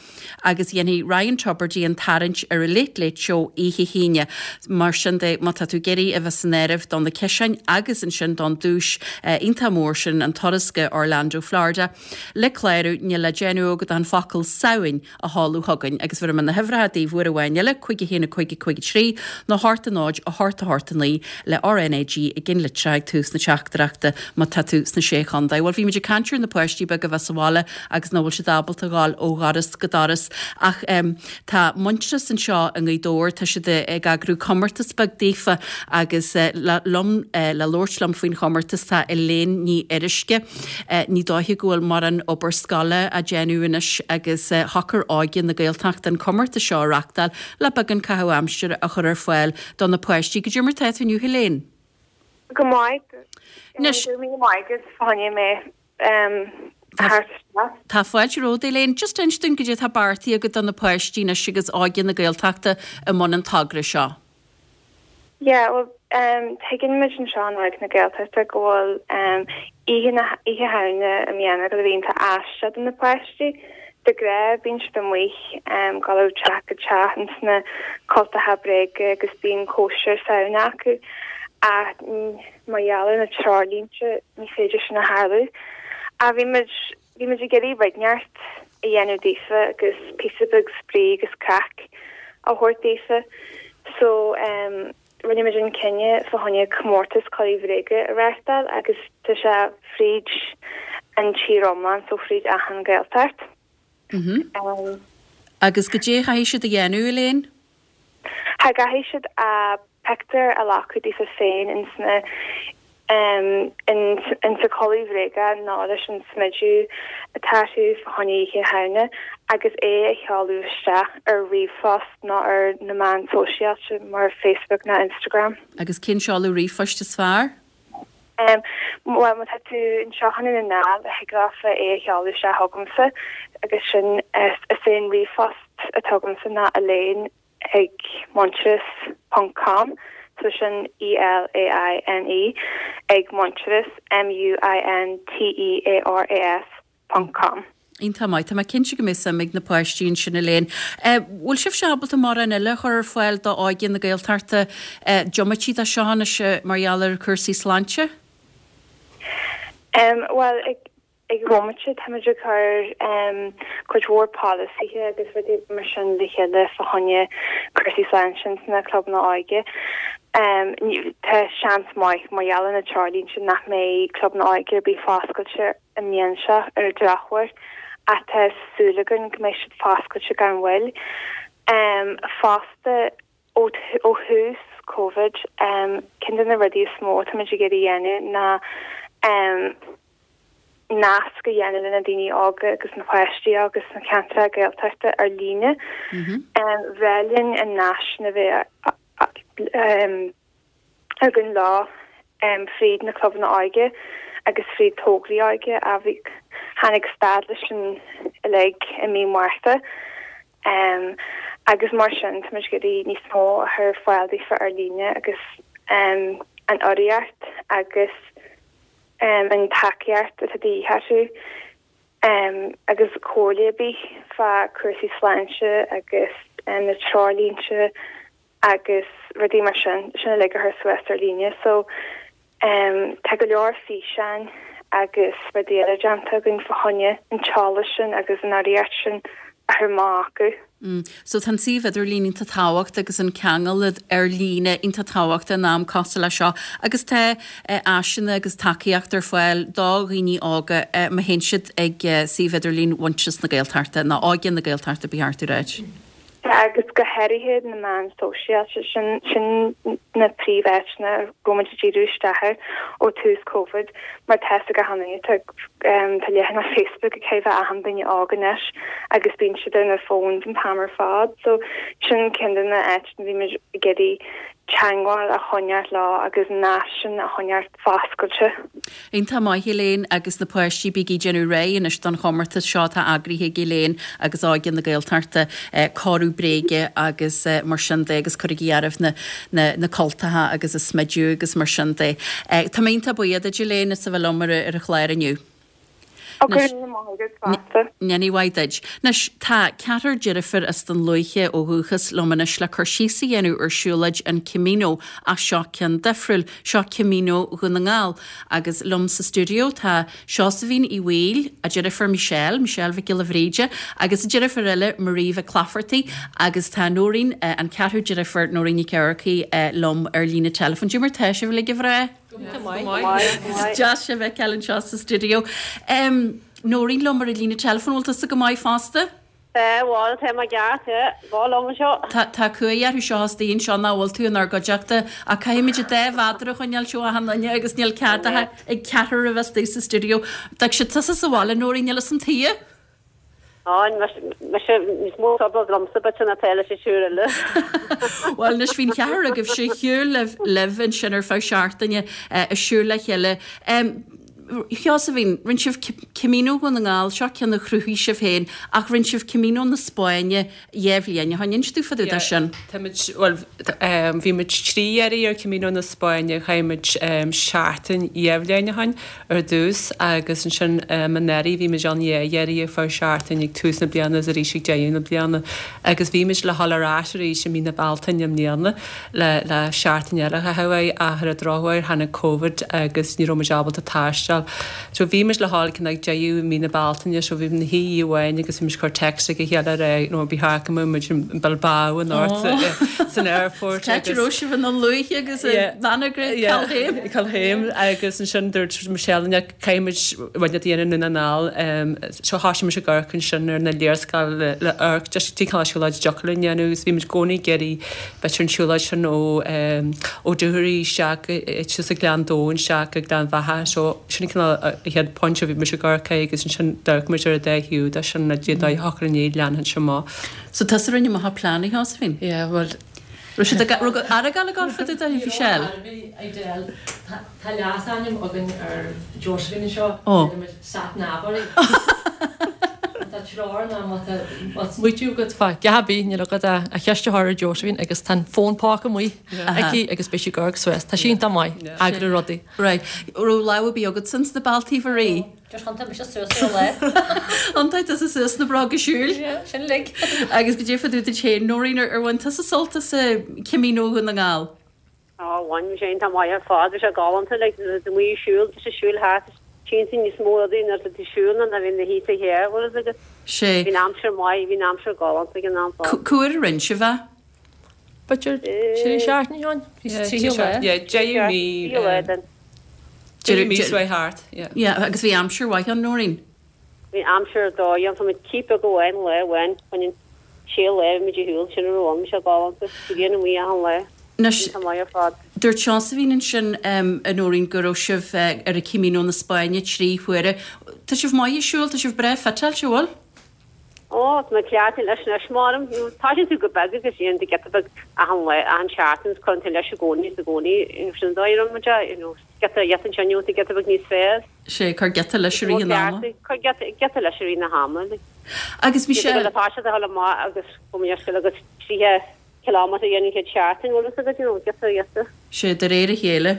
[SPEAKER 1] agus dhéanfaidh Ryan Tubridy an tarraingt ar an Late Late Show oíche hAoine. Mar sin de, má tá tú ag iarraidh a bheith san áireamh do na ciseáin agus ansin don duais iontach mór sin, an turas go Orlando, Florida, le clárú, níl le déanamh agat ach an focal Samhain a sheoladh chugainn agus bhéarfaidh mé na huimhreacha daoibh uair amháin eile, cúig a haon a cúig a cúig a trí nó a hocht a náid a hocht a hocht a naoi le RNAG i gceannlitreacha ag tús na teachtaireachta má tá tú sna Sé Chontae. Bhuel, bhí muid ag caint ar na páistí beaga a bheith sa bhaile agus nach bhfuil siad ábalta dhul ó dhoras go doras ach tá Muintearas anseo i nGaoth Dobhair, tá siad ag eagrú comórtas beag daofa agus liom le labhairt liom faoin chomórtas tá Elaine Ní Fhuaruisce. Ní dóiche go bhfuil mórán obair scoile á déanamh anois agus shocair Óige na Gaeltachta an comórtas seo a reachtáil le beagán caitheamh aimsire a chur ar fáil do na páistí. Goidé mar tá tú inniu Elaine?
[SPEAKER 6] Go maith.
[SPEAKER 1] Anois.
[SPEAKER 6] Go raibh míle maith agat fá choinne mé a thabhairt isteach.
[SPEAKER 1] Tá fáilte romhat Elaine. Just inis dúinn goidé atá beartaithe agat do na páistí anois agus Óige na Gaeltachta i mbun an togra seo.
[SPEAKER 6] Yeah, well, um, tuigeann muid anseo in Óige na Gaeltachta go bhfuil um, oíche na oíche Shamhna i mbliana go bhíonn tá aisteach do na páistí. De ghnáth bíonn siad amuigh um, ag dul ó teach go teach ins na cultacha bréige agus bíonn cóisir Samhna acu. Ach mar gheall ar na treoirlínte ní féidir sin a tharlú. Ach bhí muid bhí muid ag iarraidh rud inteacht a dhéanamh daofa agus píosa beag spraoi agus craic. a thabhairt daofa. So um, rinne muid an cinneadh fá choinne comórtas culaith bhréige a reáchtáil agus tá sé fríd an tír iomlán so fríd achan Gaeltacht.
[SPEAKER 1] Mm
[SPEAKER 6] Um,
[SPEAKER 1] Agus goidé a chaithfidh siad a dhéanamh Elaine?
[SPEAKER 6] Tha caithfidh siad a pictiúr a ghlacadh daofa féin ins na um, in, in sa culaith bhréige nó leis an smideadh atá orthu fá choinne Oíche Shamhna agus é a sheoladh isteach ar ríomhphost nó ar na meáin sóisialta mar Facebook nó Instagram.
[SPEAKER 1] Agus cén seoladh ríomhphoist is fearr?
[SPEAKER 6] Um, well má tá tú anseo i nDún na nGall thig leofa é a sheoladh isteach chugamsa agus sin is, is é an ríomhphost atá agamsa ná Elaine ag muintearas ponc com so sin E L A I N E ag muintearas M U I N T E A R A S ponc com.
[SPEAKER 1] Iontach maith Tá mé cinnte go mbeidh suim ag na páistí ansin Elaine. Bhfuil sibh ábalta mórán eile a chur ar fáil do óige na Gaeltachta diomaite de seo anois mar gheall ar cúrsaí sláinte?
[SPEAKER 6] Um, well ag ag bomaite táimid ag cur um, cuid mhór polasaithe agus rudaí mar sin le chéile fá choinne cúrsaí sláinte sna clubanna óige. Um, tá seans maith mar gheall ar na treoirlínte nach mbeidh clubanna óige ar bith foscailte an mbliain seo ar an drochuair ach tá súil againn go mbeidh siad foscailte gan mhoill. Um, fosta ó ó thús COVID um, ceann de na rudaí is mó táimid ag iarraidh a dhéanamh ná um, nasc a dhéanamh le na daoine óga agus na páistí agus na ceantracha Gaeltachta ar líne.
[SPEAKER 1] Mm -hmm.
[SPEAKER 6] Um, bhreá linn an nasc a bheith um, againn lá um, fríd na clubanna óige agus fríd tograí óige a bhí tháinig stad leis sin uilig i mí Márta. Um, agus mar sin tá muid ag iarraidh níos mó a chur ar fáil daofa ar líne agus um, an urraíocht agus um, an tacaíocht atá de dhíth orthu um, agus comhairle ar bith fá cúrsaí sláinte agus um, na treoirlínte agus rudaí mar sin sin uilig a chur suas ar líne so um, tá go leor físeáin agus rudaí eile déanta againn fá choinne an t-eolas sin agus an urraíocht sin a chur amach acu.
[SPEAKER 1] Mm. So tá suíomh idirlín iontach tábhachtach agus an ceangal ar líne iontach tábhachtach in am cosúil le seo agus tá eh, áiseanna agus tacaíocht ar fáil do dhaoine óga eh, má théann siad ag eh, suíomh idirlín Mhuintearas na Gaeltachta nó Óige na Gaeltachta ba cheart a rá.
[SPEAKER 6] agus go háirithe na meáin sóisialta sin sin na príomháiteanna go muid díriú isteach ó tús COVID mar tá go háirithe tá leathanach Facebook ag bheith achan duine óg anois agus bíonn siad ar na phones an t-am ar fad so sin ceann de na háiteanna bhí muid ag iarraidh teagmháil a choinneáil leo agus nasc sin a choinneáil foscailte.
[SPEAKER 1] Iontach maith Elaine agus na páistí bígí ag déanamh réidh anois don chomórtas seo atá eagraithe ag Elaine agus Óige na Gaeltachta eh, cóiriú bréige agus eh, mar sin de agus cuirigí oraibh na, na, na cultacha agus a smideadh agus mar sin de. Eh, Tá mé iontach buíoch duit Elaine as a bheith liom ar ar an chlár inniu. Ní mhaith duit. Anois tá ceathrar deirfiúr as Dún Lúiche ó dhúchas liom anois le cur síos a dhéanamh ar siúlóid an Camino ach seo ceann difriúil seo Camino Dhún na nGall agus liom sa studio tá Seosaimhín Uí Bhaoill a deirfiúr Michelle, Michelle Mhic Giolla Bhríde, agus a deirfiúr eile Marie Mhic Clafferty agus tá Nóirín eh, an ceathrú deirfiúr Nóirín Nic Earcaí eh, liom ar líne telefon. Cad é mar tá sibh le bhreá? Deas sibh a fheiceáil anseo sa studio. Um, Nóirín liom ar an líne telefon bhfuil tusa go maith fosta?
[SPEAKER 7] Bhfuil tá mé ceart bhil seo.
[SPEAKER 1] Tá cumha seo daon seo ná bhfuil tú inár gcuideachta a caithfimid dhá mhéadar a choinneáil seo a hanlaine agus níl cead ag ceathrar a bheith sa studio. Tá sé tusa sa bhaile Nóirín níl san tí?
[SPEAKER 7] Á se níos mó lomsa be na peile sé siúr le.
[SPEAKER 1] Well anois bhí an ceathrar agaibh sé shiúl libh libh ansin ar feadh seachtaine ag siúl le chéile. Sheosaimhín, rinne sibh Camino Dhún na nGall seo ceann a chruthaigh sibh féin ach rinne sibh Camino na Spáinne dhá bhliain ó shin inis dúinn fá dtaobh de sin.
[SPEAKER 8] Well bhí muid trí iarraidh ar Camino na Spáinne chaith muid seachtain dhá bhliain ó shin ar dtús agus ansin anuraidh bhí muid ann dhá iarraidh ar feadh seachtain ag tús na bliana is arís ag deireadh na bliana agus bhí muid le dhul ar ais arís i mí na Bealtaine i mbliana le le seachtain eile a chaitheamh ach ar an drochuair tháinig COVID agus ní raibh muid ábalta taisteal So so bhí muid le dhul cinn ag deireadh mí na Bealtaine so bhí na hí amháin agus bhí muid cur text ag a chéile ar you know, bí ha muid in Bilbao an áit san airport.
[SPEAKER 1] Cá raibh sibh an luaithe agus Calhaim.
[SPEAKER 8] Calhaim agus ansin dúirt Michelle caithfimid rud a dhéanamh na ná seo thosaigh muid ag amharc ansin ar na léarscáil le le amharc just tí cá siúlóid deocair dhéanamh agus bhí muid i gcónaí ag iarraidh b'fhéidir an siúlóid sin ó ó Dúchoraidh isteach suas ag Gleann Domhain isteach ag Gleann Bheatha so sin cineál an chéad pointe a bhí muid ag amharc air agus ansin d'amharc muid ar an dá thaobh de sin le dé dá shocair inné leanfainn seo amach.
[SPEAKER 1] So tusa a rinne amach an plean a Sheosaimhín?
[SPEAKER 8] Yeah, well
[SPEAKER 1] Raibh siad ag raibh Aragán ag gabháil fá dtaobh de Michelle?
[SPEAKER 9] Tá leasainm againn ar Josephine anseo, deirimid Sat Nav uirthi. Tá treoir ná má tá
[SPEAKER 10] smaoitiú agat fá dhath ar bith níl agat ach ceist a chur ar Josephine agus tá an fón póca amuigh aici agus beidh sí ag amharc suas. Tá sí iontach maith, eagrú rudaí.
[SPEAKER 1] Right. Raibh lámh ar bith agat ins na bealtaí Mharie?
[SPEAKER 9] Just thiontaigh mise suas ar an lá.
[SPEAKER 1] Thiontaigh tusa suas na bróga siúil.
[SPEAKER 9] Yeah, sin uilig.
[SPEAKER 1] Agus goidé fá dtaobh duit féin, Nóirín, ar bhain tusa sult as Camino Dhún na nGall?
[SPEAKER 7] Ó, bhain, bhí sé iontach maith ar fad, bhí sé galánta, like, nuair a bhí muid ag siúl, just ag siúl thart, tchíonn tú níos mó rudaí nuair atá tú ag siúl ná nuair a bhíonn na thíos a chéile, bhfuil fhios agat.
[SPEAKER 1] Sé.
[SPEAKER 7] Bhí an aimsir maith, bhí an aimsir galánta ag an am fad.
[SPEAKER 1] Cá huair a rinne sibh é?
[SPEAKER 10] B'fhéidir trí seachtaine ó shin?
[SPEAKER 8] Trí lá. Yeah, deireadh mí.
[SPEAKER 7] Trí lá den.
[SPEAKER 8] Deireadh mí seo thart, yeah.
[SPEAKER 1] Yeah, agus bhí aimsir mhaith ann, Nóirín?
[SPEAKER 7] Bhí aimsir ar dóigh ann, tá muid cíp beag amháin lá amháin, bhain an sé lá bhí muid ar shiúl, sin a raibh ann, bhí sé galánta, bhí grian amuigh achan lá,
[SPEAKER 1] Anois,
[SPEAKER 7] iontach maith ar fad.
[SPEAKER 1] dúirt Seosaimhín ansin, a Nóirín, go raibh sibh ar an Camino na Spáinne trí huaire. Tá sibh maith ag siúl, tá sibh breá fiteáilte, an bhfuil?
[SPEAKER 7] Ó, tá mé cleachtaithe leis anois, measaim. You know, tosaíonn tú go beag agus déanann tú giota beag achan lá, achan seachtain agus cuireann tú leis i gcónaí is i gcónaí, you know, sin an dóigh a raibh muid é, you know, giota, giota ansin, you know, giota beag níos fearr.
[SPEAKER 1] Sé, cuir giota leis i rith an ama.
[SPEAKER 7] Cuir giota, giota leis i rith na hama, like.
[SPEAKER 1] Agus Michelle.
[SPEAKER 7] Giota beag atá siad a dhul amach agus go mbeadh scil agat tríocha kilometre a dhéanamh an chéad seachtain, bhfuil fhios agat, you know, giota, giota.
[SPEAKER 1] Sé, de réir a chéile.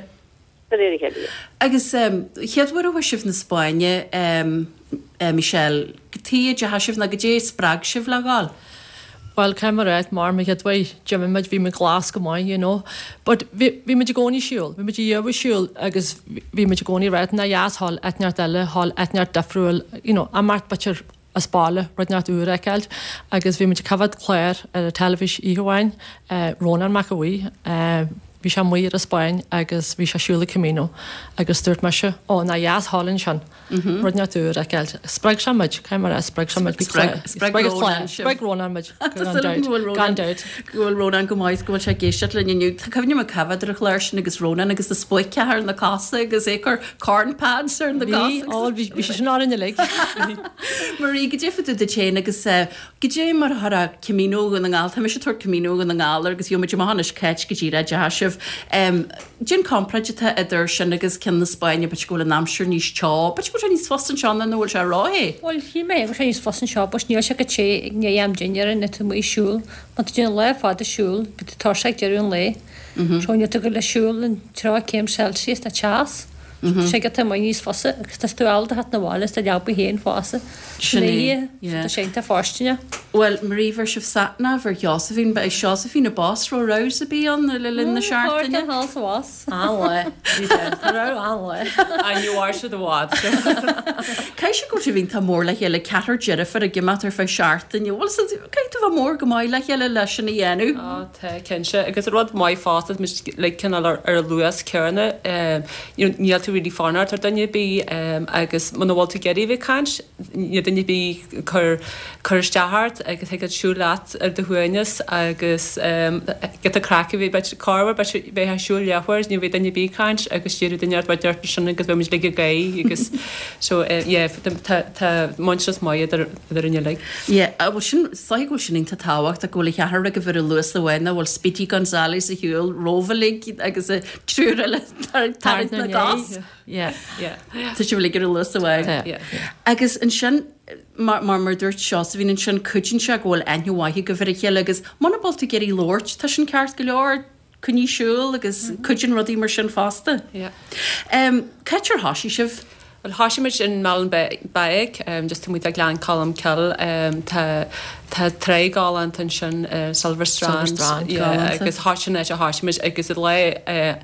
[SPEAKER 7] De réir a chéile.
[SPEAKER 1] Agus chéad uair a chuaigh sibh na Spáinne, Michelle, cad chuige a dteachaigh sibh nó goidé a spreag sibh le dhul?
[SPEAKER 10] Bhuel, caithfidh mé a rá, mar mo chéad uair, d'imigh muid, bhí muid glas go maith, you know. But bhí, bhí muid i gcónaí ag siúl, bhí muid ag iarraidh siúl agus bhí muid i gcónaí ag rá, nár dheas dhul áit inteacht eile, dhul áit inteacht difriúil, you know, imeacht b'fhéidir as baile, rud inteacht úr a fheiceáil. Agus bhí muid ag coimhéad clár ar an teilifís oíche amháin, Rónán Mac Aodha Bhuí, Bhí sé amuigh ar an Spáinn agus bhí sé ag siúl an Camino agus dúirt mise, Ó, nár dheas dhul ansin, rud inteacht úr a fheiceáil. Spreag sé muid, caithfidh mé a rá, spreag sé muid.
[SPEAKER 1] Spreag Rónán sibh.
[SPEAKER 10] Spreag Rónán muid, gan dabht, gan dabht.
[SPEAKER 1] Go bhfuil Rónán go maith, go bhfuil sé ag éisteacht linn inniu. Tá cuimhne agam coimhéad ar an chlár sin agus Rónán agus na spuaiceacha ar na cosa agus é ag cur corn pads ar na cosa.
[SPEAKER 10] Bhí, ó, bhí sé sin orainn uilig.
[SPEAKER 1] Marie, goidé fá dtaobh duit féin agus Goidé mar a chuirfeá Camino Dhún na nGall, tá mise ag tabhairt Camino Dhún na nGall air agus gheobhaidh muid amach anois c'áit go díreach a dteachaigh sibh. Cén comparáid atá idir sin agus ceann na Spáinne, b'fhéidir go bhfuil an aimsir níos teo, b'fhéidir go bhfuil sé níos fusa anseo ná bhfuil sé róthe?
[SPEAKER 9] Bhuel, shíl mé go bhfuil sé níos fusa anseo but níl sé chomh te i ndiaidh am dinnéara nuair atá tú amuigh ag siúl. Má tá tú ag déanamh lá fada siúil, beidh tú tuirseach ag deireadh an lae. So níl tú ag dul le siúl in tríocha céim Celsius ná teas. Tá sé giota maith níos fusa agus tá tú ábalta theacht 'na bhaile is do leaba féin fosta.
[SPEAKER 1] Sin é,
[SPEAKER 9] yeah. Tá sé iontach fóirsteanach.
[SPEAKER 1] Bhuel, Marie, bheir sibh sat nav ar Sheosaimhín, ba é Seosaimhín an boss, raibh rows ar bith ann le linn na seachtaine?
[SPEAKER 9] Thall is abhus.
[SPEAKER 10] An-lá. Bhí sé. Tá raibh an-lá.
[SPEAKER 8] I knew I should have watched.
[SPEAKER 1] Caithfidh sé go bhfuil sibh iontach mór le chéile, ceathrar deirfiúr ag imeacht ar feadh seachtaine. Bhuel, caithfidh tú bheith mór go maith le chéile leis sin a dhéanamh.
[SPEAKER 8] Á, tá, cinnte. Agus rud maith fosta, tá muid like cineál ar ar an luas céanna. You know, níl tú really fanacht ar duine ar bith agus muna bhfuil tú ag iarraidh a bheith ag caint, níl duine ar bith ag cur cur isteach ort agus thig leat siúl leat ar do shuaimhneas agus giota craic a bheith b'fhéidir corruair b'fhéidir bheifeá ag siúl leathuair ní bheadh duine ar bith ag caint agus déarfadh duine ort bheith deirt ansin agus bheadh muid uilig ag gáire agus so yeah tá tá muintearas maith idir idir uilig.
[SPEAKER 1] Yeah, bhuel sin, is dóigh go bhfuil sin iontach tábhachtach go bhfuil an cheathrar agaibh ar an luas amháin nach bhfuil Speedy Gonzales ar shiúl romhaibh uilig agus an triúr eile ag tarraingt na gcos. Tá sibh uilig ar an luas amháin. Agus ansin, mar mar dúirt Seosaimhín ansin, cuidíonn sé go bhfuil aithne mhaith agaibh ar a chéile agus muna bhfuil tú ag iarraidh labhairt, tá sin ceart go leor, coinnigh ag siúl agus cuidíonn rudaí mar sin fosta. Cá háit ar thosaigh sibh?
[SPEAKER 8] Bhuel, thosaigh muid in Meallan Beag, just taobh amuigh de Ghleann Cholm Cille. Tá Tá trá galánta ansin, Silver Strand.
[SPEAKER 10] Silver Strand, galánta.
[SPEAKER 8] Agus thart sin áit a thoisigh muid agus an lá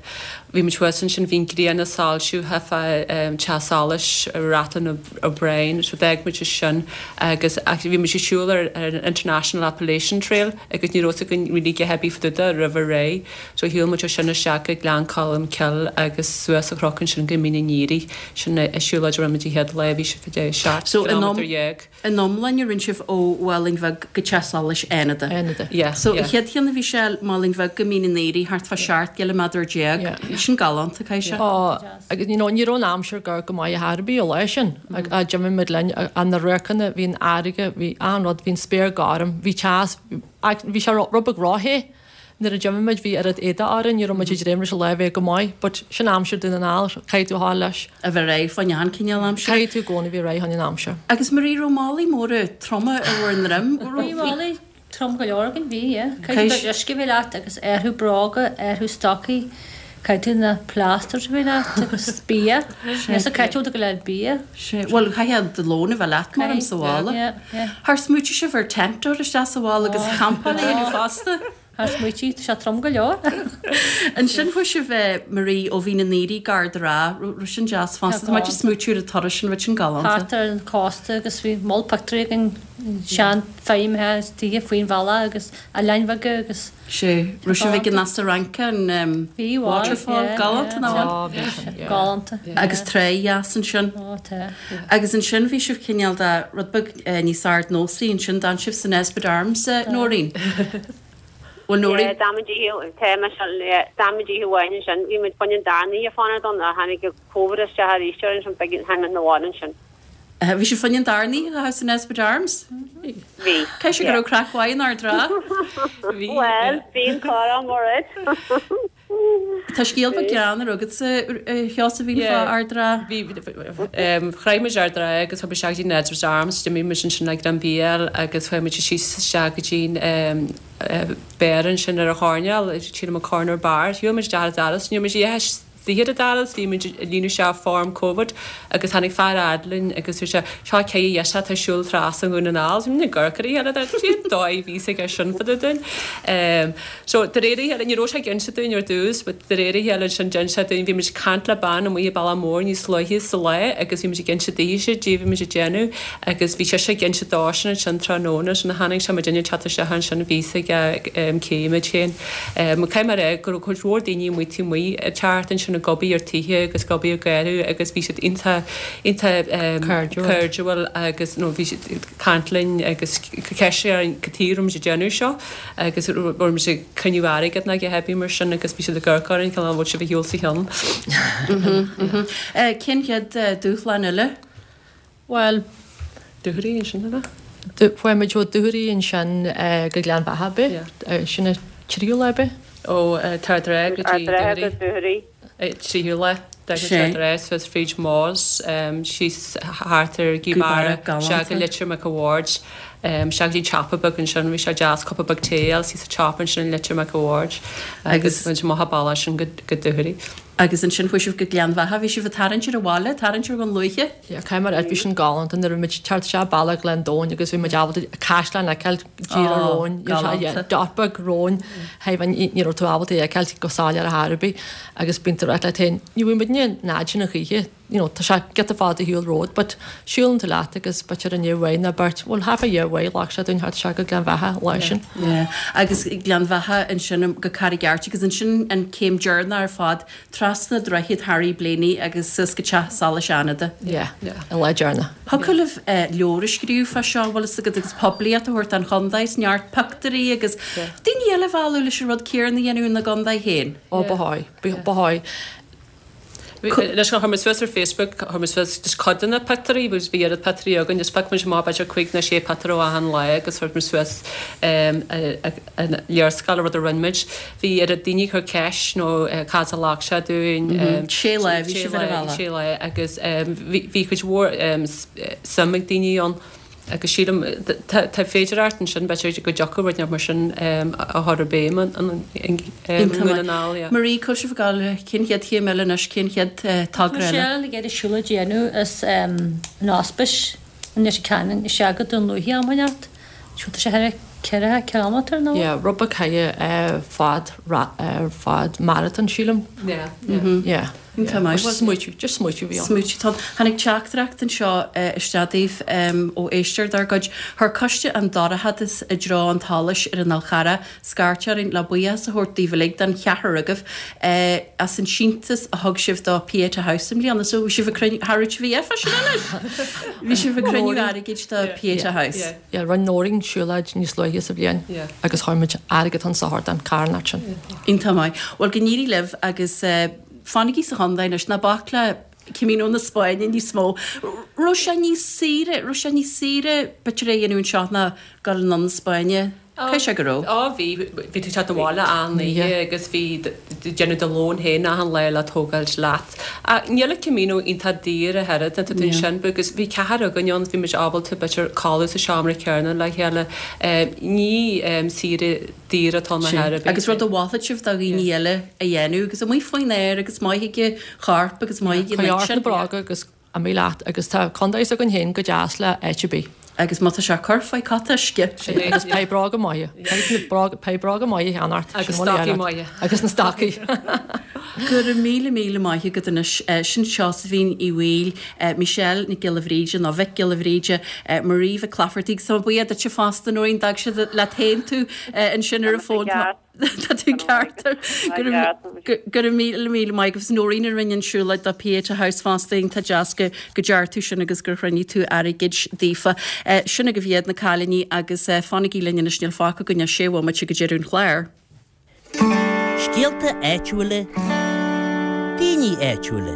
[SPEAKER 8] bhí muid thuas ansin bhí an ghrian ag soilsiú theifeá teach solais Rathlin O'Brien so d'fhág muid sin agus bhí muid ag siúl ar an International Appalachian Trail agus ní raibh fhios againn really cé hé bhí fá dtaobh de roimh a ré so shiúil muid ó sin isteach go Gleann Cholm Cille agus suas an chnoc ansin go Mín an Aoraigh sin an siúlóid a rinne muid an chéad lá bhí sé fá dtaobh seacht gcileámeadar dhéag.
[SPEAKER 1] In iomláine rinne sibh ó Mhálainn Bheag go Teach Solais Fhánada.
[SPEAKER 10] Fhánada.
[SPEAKER 8] Yeah.
[SPEAKER 1] So an chéad cheann a bhí sé Málainn Bheag go Mín an Aoraigh thart fá seacht gciliméadar déag.
[SPEAKER 10] Yeah.
[SPEAKER 1] Sin galánta, caithfidh sé.
[SPEAKER 10] Ó, agus you know ní raibh an aimsir go go maith ar bith an lá sin. Ag d'imigh muid linn an na radharcanna, bhí an fharraige, bhí achan rud, bhí an spéir gorm, bhí teas, bhí sé rud beag róthe. Nuair a d'imigh muid bhí oiread éadaigh orainn, ní raibh muid ag dréim leis an lá a bheith go maith, but sin aimsir Dún na nGall, caithfidh tú a ghabháil leis.
[SPEAKER 1] A bheith réidh fá choinne achan cineál aimsire.
[SPEAKER 10] Caithfidh tú i gcónaí bheith réidh fá choinne an aimsir.
[SPEAKER 1] Agus Marie, raibh málaí móra troma ar bhur ndroim?
[SPEAKER 9] Bhí málaí trom go leor againn, bhí, yeah. Caithfidh tú uisce a bheith leat agus orthu bróga, orthu stocaí, caithfidh tú na plasters a bheith leat agus bia. Sea, caithfidh tú go leor bia.
[SPEAKER 1] Sea, bhuel chaithfeá do lón a bheith leat mar am sa bhaile.
[SPEAKER 9] Yeah, yeah.
[SPEAKER 1] Ar smaoitigh sibh ar tent a chur isteach sa bhaile agus campáil a dhéanamh fosta?
[SPEAKER 9] Ar smaoitigh, tá sé trom go leor.
[SPEAKER 1] Ansin chuaigh sibh, Marie, ó Mhín an Aoraigh go Ard an Rátha, raibh sin deas fosta. Tá muid ag smaoitiú ar an turas sin, raibh sin galánta.
[SPEAKER 9] Thart ar an chósta agus bhí moll pictiúirí againn, sean feirmeacha is tithe faoin bhealach agus oileáin bheaga agus.
[SPEAKER 1] Sea, raibh sibh ag an Easa Rince, an waterfall, galánta nach bhfuil?
[SPEAKER 9] Bhí, bhí, yeah. Galánta.
[SPEAKER 1] Agus trá dheas ansin.
[SPEAKER 9] Ó, tá.
[SPEAKER 1] Agus ansin bhí sibh cineál de rud beag níos ardnósaí ansin, d'fhan sibh san Nesbitt Arms, Nóirín. Bhuel, Nóirín.
[SPEAKER 7] Yeah, d'fhan muid oíche, tá Michelle, yeah, d'fhan muid oíche amháin ansin, bhí muid fá choinne an darna oíche fanacht ann ach tháinig an Covid isteach arís orainn ansin, b'éigean, tháinig muid 'na bhaile ansin.
[SPEAKER 1] Bhí sibh fá choinne an darna oíche a chaitheamh san Nesbitt Arms?
[SPEAKER 7] Bhí,
[SPEAKER 1] Caithfidh sé go
[SPEAKER 7] yeah.
[SPEAKER 1] raibh craic mhaith in Ard an Rátha.
[SPEAKER 8] Bhí,
[SPEAKER 7] Bhuel, bhí an chorr mór ait.
[SPEAKER 1] Tá scéal beag greannmhar agatsa, a Sheosaimhín, fá Ard an Rátha.
[SPEAKER 8] Bhí, shroich muid Ard an Rátha agus chuaigh muid isteach go dtí Nesbitt's Arms, d'imigh muid ansin le greim bia a fháil agus chuaigh muid síos isteach go dtí an beár ansin ar an choirnéal, sílim an Corner Bar. Shiúil muid isteach ar an doras, ní raibh muid istigh ar an doras, bhí muid ag líonadh isteach form Covid agus tháinig fear fhad linn agus dúirt sé, seo cé dheis atá ag siúl trasna Dhún na nGall, bhí muid ag amharc ar a chéile, cén dóigh a bhí fhios aige sin fá dtaobh dúinn. So de réir a chéile, ní raibh sé ag inse dúinn ar dtús, but de réir a chéile ansin d'inis sé dúinn, bhí muid ag caint le bean amuigh i Bealach Mór níos luaithe sa lá agus bhí muid ag inse daoithe caidé a bhí muid ag déanamh agus bhí sise ag inse dósan ansin tráthnóna sin a tháinig sé muidinne ag teacht isteach ansin bhí fhios aige cé muid féin. Caithfidh mé a rá go raibh cuid mhór daoine amuigh taobh amuigh ag teacht ansin ag obair ar tithe agus ag obair ag gearradh agus bhí siad iontach iontach cairdiúil agus nó bhí siad ag caint linn agus ceist orainn cad chuige a raibh muid ag déanamh seo agus raibh muid ag cruinniú airgead nó a dhath ar bith mar sin agus bhí siad ag amharc orainn cineál an bhfuil sibh ar shiúl sa cheann.
[SPEAKER 1] Cén chéad dúshlán eile?
[SPEAKER 10] Bhuel,
[SPEAKER 8] Dúchoraidh ansin, ab ea?
[SPEAKER 10] Chuaigh muid ó Dúchoraidh ansin go Gleann Bheatha, ab ea? Sin an tríú lá, ab ea?
[SPEAKER 8] Ó Ard an Rátha go dtí Dúchoraidh. Tríú lá. D'fhág muid Ard an Rátha suas fríd Maghs, síos thart ar Ghaoth Beara, isteach go Leitir Mhic a' Bhaird, isteach go dtí an tsiopa beag ansin, bhí sé deas cupa beag tae a fháil síos sa tsiopa ansin i Leitir Mhic a' Bhaird agus muid amach an bealach sin go Dúchoraidh.
[SPEAKER 1] Agus ansin chuaigh sibh go Gleann Bheatha, bhí sibh ag tarraingt ar an bhaile, tarraingt ar Dhún Lúiche?
[SPEAKER 10] Yeah, caithfidh mé a rá, bhí sin galánta nuair a bhí muid ag teacht isteach bealach Ghleann Domhain agus bhí muid ábalta caisleán a fheiceáil díreach romhainn,
[SPEAKER 1] Galánta.
[SPEAKER 10] dot beag romhainn, ní raibh tú ábalta é a fheiceáil go soiléir ar chor ar bith agus bíonn tú ag rá leat féin, ní bhfuil muidne an fhad sin a choíche, you know, tá sé giota fada shiúl romhat but siúlann tú leat agus b'fhéidir an uair amháin nó beirt, bhuel half a year away ghlac sé dúinn theacht isteach go Gleann Bheatha an lá sin.
[SPEAKER 1] Yeah. Agus Gleann Bheatha ansin go Carraig Airt agus ansin an céim deireanach ar fad trasna droichead Harry Blaney agus suas go Teach Solais Fhánada.
[SPEAKER 10] Yeah, an lá deireanach.
[SPEAKER 1] Thiocfadh libh leabhar a scríobh fá seo, bhfuil fhios agat, agus poiblíocht a thabhairt don chontae, is neart pictiúirí agus daoine eile a mhealladh leis an rud céanna a dhéanamh ina gcontae féin.
[SPEAKER 10] Ó, ba dhóigh, ba dhóigh.
[SPEAKER 8] Leis chuir muid suas ar Facebook, chuir muid suas just cuid de na pictiúirí, agus bhí oiread pictiúirí againn, just phioc muid amach b'fhéidir cúig nó sé pictiúr ó achan lá agus chuir muid suas an léarscáil, an rud a rinne muid. Bhí oiread daoine ag cur ceist nó cad a ghlac sé dúinn.
[SPEAKER 1] Sé lá, bhí sibh ar an bhealach.
[SPEAKER 8] Sé lá agus bhí cuid mhór suim ag daoine ann. Agus sílim, tá féidearthacht ansin, b'fhéidir go dtiocfadh rud mar sin a chur i bhfeidhm i nDún na nGall, yeah.
[SPEAKER 1] Marie, cá bhfuil sibh ag gabháil, cén chéad chéim eile anois, cén chéad togra eile?
[SPEAKER 9] Michelle ag iarraidh siúlóid a dhéanamh as an Ospís i Leitir Ceanainn isteach go Dún Lúiche am inteacht Tá sé thar ceithre kilometer nó?
[SPEAKER 10] Yeah, rud beag thar fad fad marathon sílim.
[SPEAKER 8] Yeah.
[SPEAKER 10] Yeah.
[SPEAKER 1] Iontach maith.
[SPEAKER 10] Smaoitiú, just smaoitiú bhí ann.
[SPEAKER 1] Smaoitiú tá. Tháinig teachtaireacht anseo isteach daoibh ó éisteoir dár gcuid. Chuir coiste an dorchadas i dtreo an tsolais ar an Fhál Charrach scairt orainn le buíochas a thabhairt daoibh uilig don cheathrar agaibh as an síntiús a thug sibh do Pieta House i mbliana. So bhí sibh ag cruinniú, cha raibh sibh fá sin anois! Bhí sibh ag cruinniú airgid do Pieta House.
[SPEAKER 10] Yeah, rinne Nóirín siúlóid níos luaithe sa bhliain agus chuir muid airgead chun sochair don charthanacht sin.
[SPEAKER 1] Iontach maith. Bhuel go n-éirí libh agus fanaigí sa chontae anois, ná bac le Camino na Spáinne níos mó. Raibh sé níos saoire, raibh sé níos saoire b'fhéidir é a dhéanamh anseo ná dul anonn na Spáinne? Caithfidh sé go raibh.
[SPEAKER 8] Á bhí, bhí tú ag teacht abhaile achan oíche agus bhí tú déanamh do lón féin achan lá le tógáilt leat. Ach níl an Camino iontach daor ach oiread, tá tú ansin agus bhí ceathrar againn ann, bhí muid ábalta b'fhéidir codladh sa seomra céanna le chéile. Ní saoire daor atá ann ar bith.
[SPEAKER 1] Agus rud a mholfadh sibh do dhaoine eile a dhéanamh agus amuigh faoin aer agus maith ag an chorp agus maith ag an
[SPEAKER 10] Coinnigh ort na bróga agus imigh leat agus tá contae s'againn féin chomh deas le áit ar bith.
[SPEAKER 1] Agus má tá sé ag cur faoi cot uisce.
[SPEAKER 10] Sin é agus beidh bróga maithe. Beidh bróga maithe a cheannacht.
[SPEAKER 8] Agus stocaí maithe.
[SPEAKER 10] Agus na stocaí.
[SPEAKER 1] Go raibh míle míle maith agat anois. Sin Seosaimhín Uí Bhaoill, Michelle Nic Giolla Bhríde nó Mhic Giolla Bhríde, Marie Mhic Laifeartaigh. Tá mé buíoch duitse fosta Nóirín, d'fhág siad leat féin tú ansin ar an bhfón. Tá tú ceart. Go raibh míle míle maith agat. Nóirín a rinne an siúlóid do Pieta House fosta, iontach deas go ndearna tú sin agus gur chruinnigh tú airgead daofa. Sin agaibh iad na cailíní agus fanaigí linn anois níl fágtha againn ach sé bhomaite go deireadh an chláir.
[SPEAKER 4] Scéalta áitiúla, daoine áitiúla.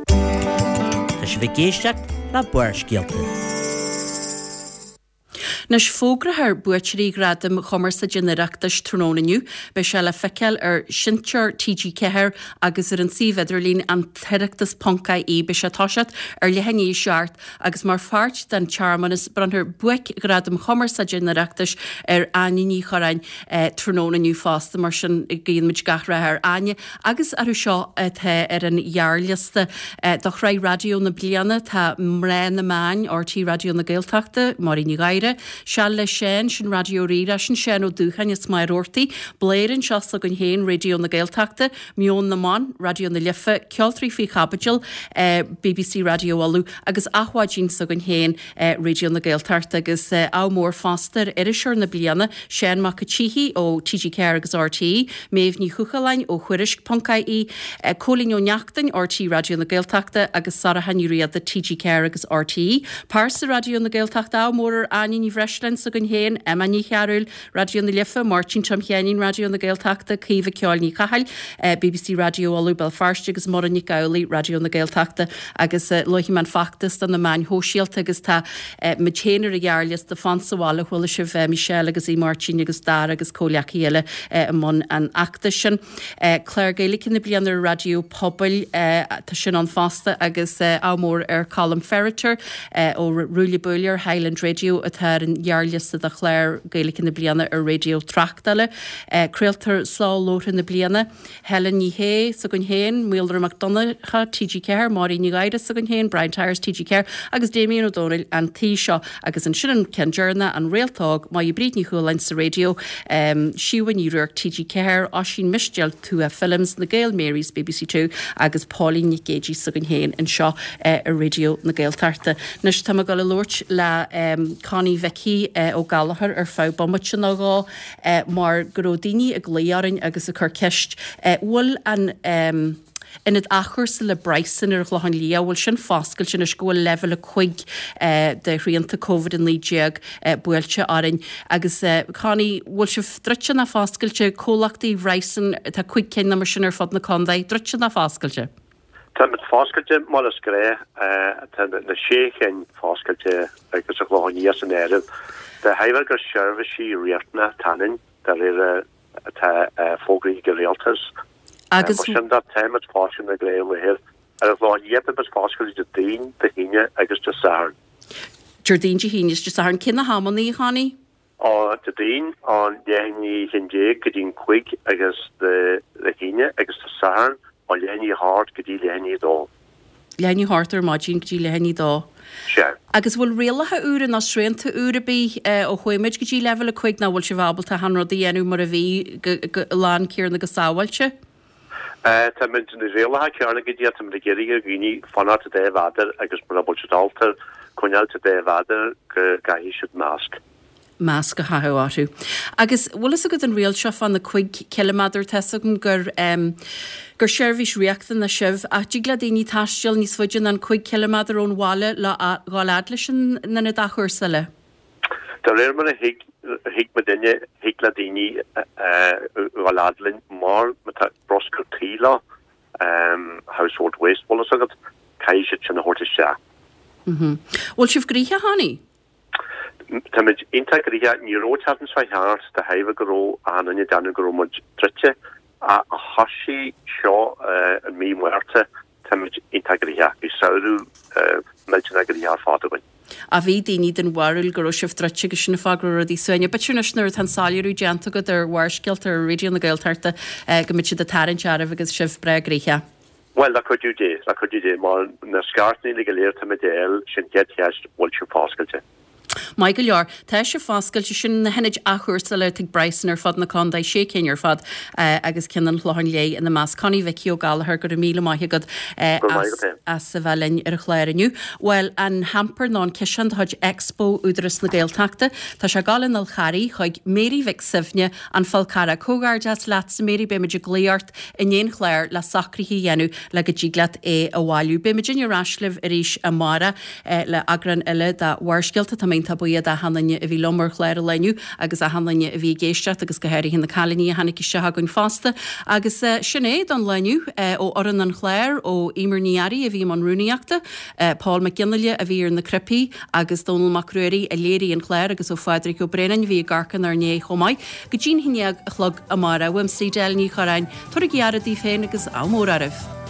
[SPEAKER 4] Tá sibh ag éisteacht le Barrscéalta.
[SPEAKER 1] Anois fógrófar buaiteoirí Ghradaim Chumarsáide an Oireachtais tráthnóna inniu. Beidh sé le feiceáil ar Sheinnteoir T G ceathair agus ar an suíomh idirlín an tOireachtas ponc I E. Beidh sé ag toiseacht ar leath i ndiaidh a seacht agus mar pháirt den tsearmanas bronnfar Buaic-Ghradam Chumarsáide an Oireachtais ar Áine Ní Churráin tráthnóna inniu fosta. Mar sin guíonn muid gach rath ar Áine agus orthu seo atá ar an ghearrliosta do Shraith Raidió na Bliana. Tá Mná na Meáin, R T Raidió na Gaeltachta, Máirín Ní Ghadhra, Seal le Seán, sin Raidió Rí-Rá, sin Seán Ó Dúcháin is Máire Roarty, Bladhaire anseo s'againn féin, Raidió na Gaeltachta, Meon na mBan, Raidió na Life, Ceoltóirí Faoi Chaibidil, B B C Raidió Uladh agus Adhmhaidin s'againn féin, Raidió na Gaeltachta agus ádh mór fosta ar Iriseoir na Bliana, Seán Mac an tSíthigh ó T G ceathair agus R T É, Méabh Ní Chúchalláin ó Thuairisc ponc I E, Cóilín Ó Neachtain, R T É Raidió na Gaeltachta agus Sorcha Ní Riada, T G ceathair agus R T É. Pearsa Raidió na Gaeltachta, ádh mór ar Áine Ní Bhreisleáin s'againn féin, Emma Ní Chearúil, Raidió na Life, Máirtín Tom Sheáinín, Raidió na Gaeltachta, Caoimhe Ceoil Ní Chathail, B B C Raidió Uladh, Béal Feirste agus Muireann Nic Amhlaoibh, Raidió na Gaeltachta agus luaigh mé an feachtas do na meáin shóisialta agus tá muid féin ar an ghearrliosta Fan sa Bhaile, chuala sibh Michelle agus Aodh Máirtín agus Dara agus comhghleacaithe eile i mbun an fheachtais sin. Clár Gaeilge na bliana ar Raidió Pobail, tá sin ann fosta agus ádh mór ar Colm Ferriter ó Ruaille Buaille ar Highland Radio atá ar an ghearrliosta do Chlár Gaeilge na bliana ar Raidió Tráchtála. Craoltóir Solúbtha na bliana, Helen Ní Shé s'againn féin, Maolra Mac Donncha, T G ceathair, Máirín Ní Ghadhra s'againn féin, Brian Tyers, T G ceathair agus Damien Ó Dónaill an tí seo. Agus ansin an ceann deireanach, an Réalt Óg, Máire Bríd Ní Chualáin sa raidió, Síomha Ní Ruairc, T G ceathair, Oisín Mistéil, Tuath Films, na Gael Marys, B B C Two agus Póilín Nic Géidigh s'againn féin anseo ar Raidió na Gaeltachta. Anois tá mé ag dul a labhairt le Connie Mhicí Ó Gallchóir ar feadh bomaite nó dhó mar go raibh daoine ag glaoch orainn agus ag cur ceist bhfuil an ionad athchúrsa le Bryson ar an Chlochán Liath, bhfuil sin foscailte anois go bhfuil leibhéal a cúig de shrianta Covid a naoi déag buailte orainn agus Connie, bhfuil sibh druidte nó foscailte, comhlachtaí Bryson, tá cúig cinn nó mar sin ar fud na contae, druidte nó foscailte?
[SPEAKER 11] Táimid foscailte mar is gnách, tá na sé chinn foscailte agus an Clochán Liath san áireamh. De thairbhe gur seirbhísí riachtanacha atá ionainn, de réir atá fógraithe ag an rialtas.
[SPEAKER 1] Agus.
[SPEAKER 11] Mar sin de, táimid foscailte na gnáthláthair. Ar an Chlochán Liath, táimid foscailte Déardaoin, Dé hAoine agus Dé Sathairn.
[SPEAKER 1] Déardaoin, Dé hAoine is Dé Sathairn. Cé na hamanna, a Chonnie?
[SPEAKER 11] Ó Déardaoin ón leath i ndiaidh a haon déag go dtí an cúig agus Dé hAoine agus Dé Sathairn ó leath i ndiaidh a hocht go dtí leath i ndiaidh a dó.
[SPEAKER 1] leath i ndiaidh a hocht ar maidin go dtí leath i ndiaidh a dó.
[SPEAKER 11] Sea.
[SPEAKER 1] Agus bhfuil rialacha úra nó srianta úr ar bith ó chuaigh muid go dtí leibhéal a cúig nó bhfuil sibh ábalta achan rud a dhéanamh mar a bhí go lán céarna go sábháilte?
[SPEAKER 11] Tá muid na rialacha céarna go dtí tá muid ag iarraidh ar dhaoine fanacht sa dá mhéadar agus mura bhfuil siad ábalta coinneáil sa dá mhéadar go gcaithfidh siad masc.
[SPEAKER 1] masc a chaitheamh orthu. Agus bhfuil fhios agat an riail seo fá na cúig ciliméadar, tá fhios agam gur em gur seirbhís riachtanach sibh ach dtig le daoine taisteal níos faide ná an cúig ciliméadar ón bhaile le dhul fhad leis an ionad athchúrsála?
[SPEAKER 11] De réir mar a thuig thuig muidinne thig le daoine dhul fhad linn mar má tá bruscar tí leo, household waste, bhfuil fhios agat, caithfidh siad sin a thabhairt isteach.
[SPEAKER 1] Bhfuil sibh gnoitheach, Connie?
[SPEAKER 11] Táimid iontach gnoitheach. Ní raibh an tseachtain seo thart de thairbhe go raibh achan duine ag déanamh go raibh muid druidte ach ó thosaigh seo i mí Márta táimid iontach gnoitheach. Bhí samhradh millteanach gnoitheach ar fad againn.
[SPEAKER 1] Ach bhí daoine den bharúil go raibh sibh druidte agus sin an fáth go raibh rudaí suaimhneach. B'fhéidir anois nuair atá an soiléiriú déanta agat ar Bharrscéalta ar Raidió na Gaeltachta go mbeidh siad ag tarraingt oraibh agus sibh breá gnoitheach.
[SPEAKER 11] Bhuel, le cuidiú Dé, le cuidiú Dé, mar na scairteanna go léir táimid a fháil, sin chéad cheist, bhfuil sibh foscailte?
[SPEAKER 1] Maith go leor. Tá sibh foscailte. Sin na hionaid athchúrsála atá ag Bryson ar fud na contae, sé cinn ar fad agus ceann an Chlocháin Léith ina measc. Connie Mhicí Ó Gallchóir, go raibh míle maith agat as as a bheith linn ar an chlár inniu. Bhuel, an hamper nó an ciseán de chuid Expo Údarás na Gaeltachta, tá sé ag dul an Fhál Charraigh chuig Mary Mhic Suibhne, An Fál Carrach. Comhghairdeas leatsa Mary, beimid ag glaoch ort i ndiaidh an chláir le socruithe a dhéanamh le go dtig leat é a bhailiú. Beidh muidinne ar ais libh arís amárach le eagrán eile de Bharrscéalta. Tá mé iontach buíoch d'achan duine a bhí liom ar chlár an lae inniu agus achan duine a bhí ag éisteacht agus go háirithe na cailíní a tháinig isteach againn fosta. Agus sin é don lá inniu ó fhoireann an chláir, ó Emer Ní Fhearraigh a bhí i mbun rúnaíochta, Paul Mac Fhionnghaile a bhí ar na cnaipí agus Dónall Mac Ruairí a léirigh an clár agus ó Phádraig Ó Braonáin a bhí ag amharc inár ndiaidh chomh maith. Go dtí'n haon déag a chlog amárach. Uaimse Edel Ní Chorráin, tabhairaigí aire daoibh féin agus ádh mór oraibh.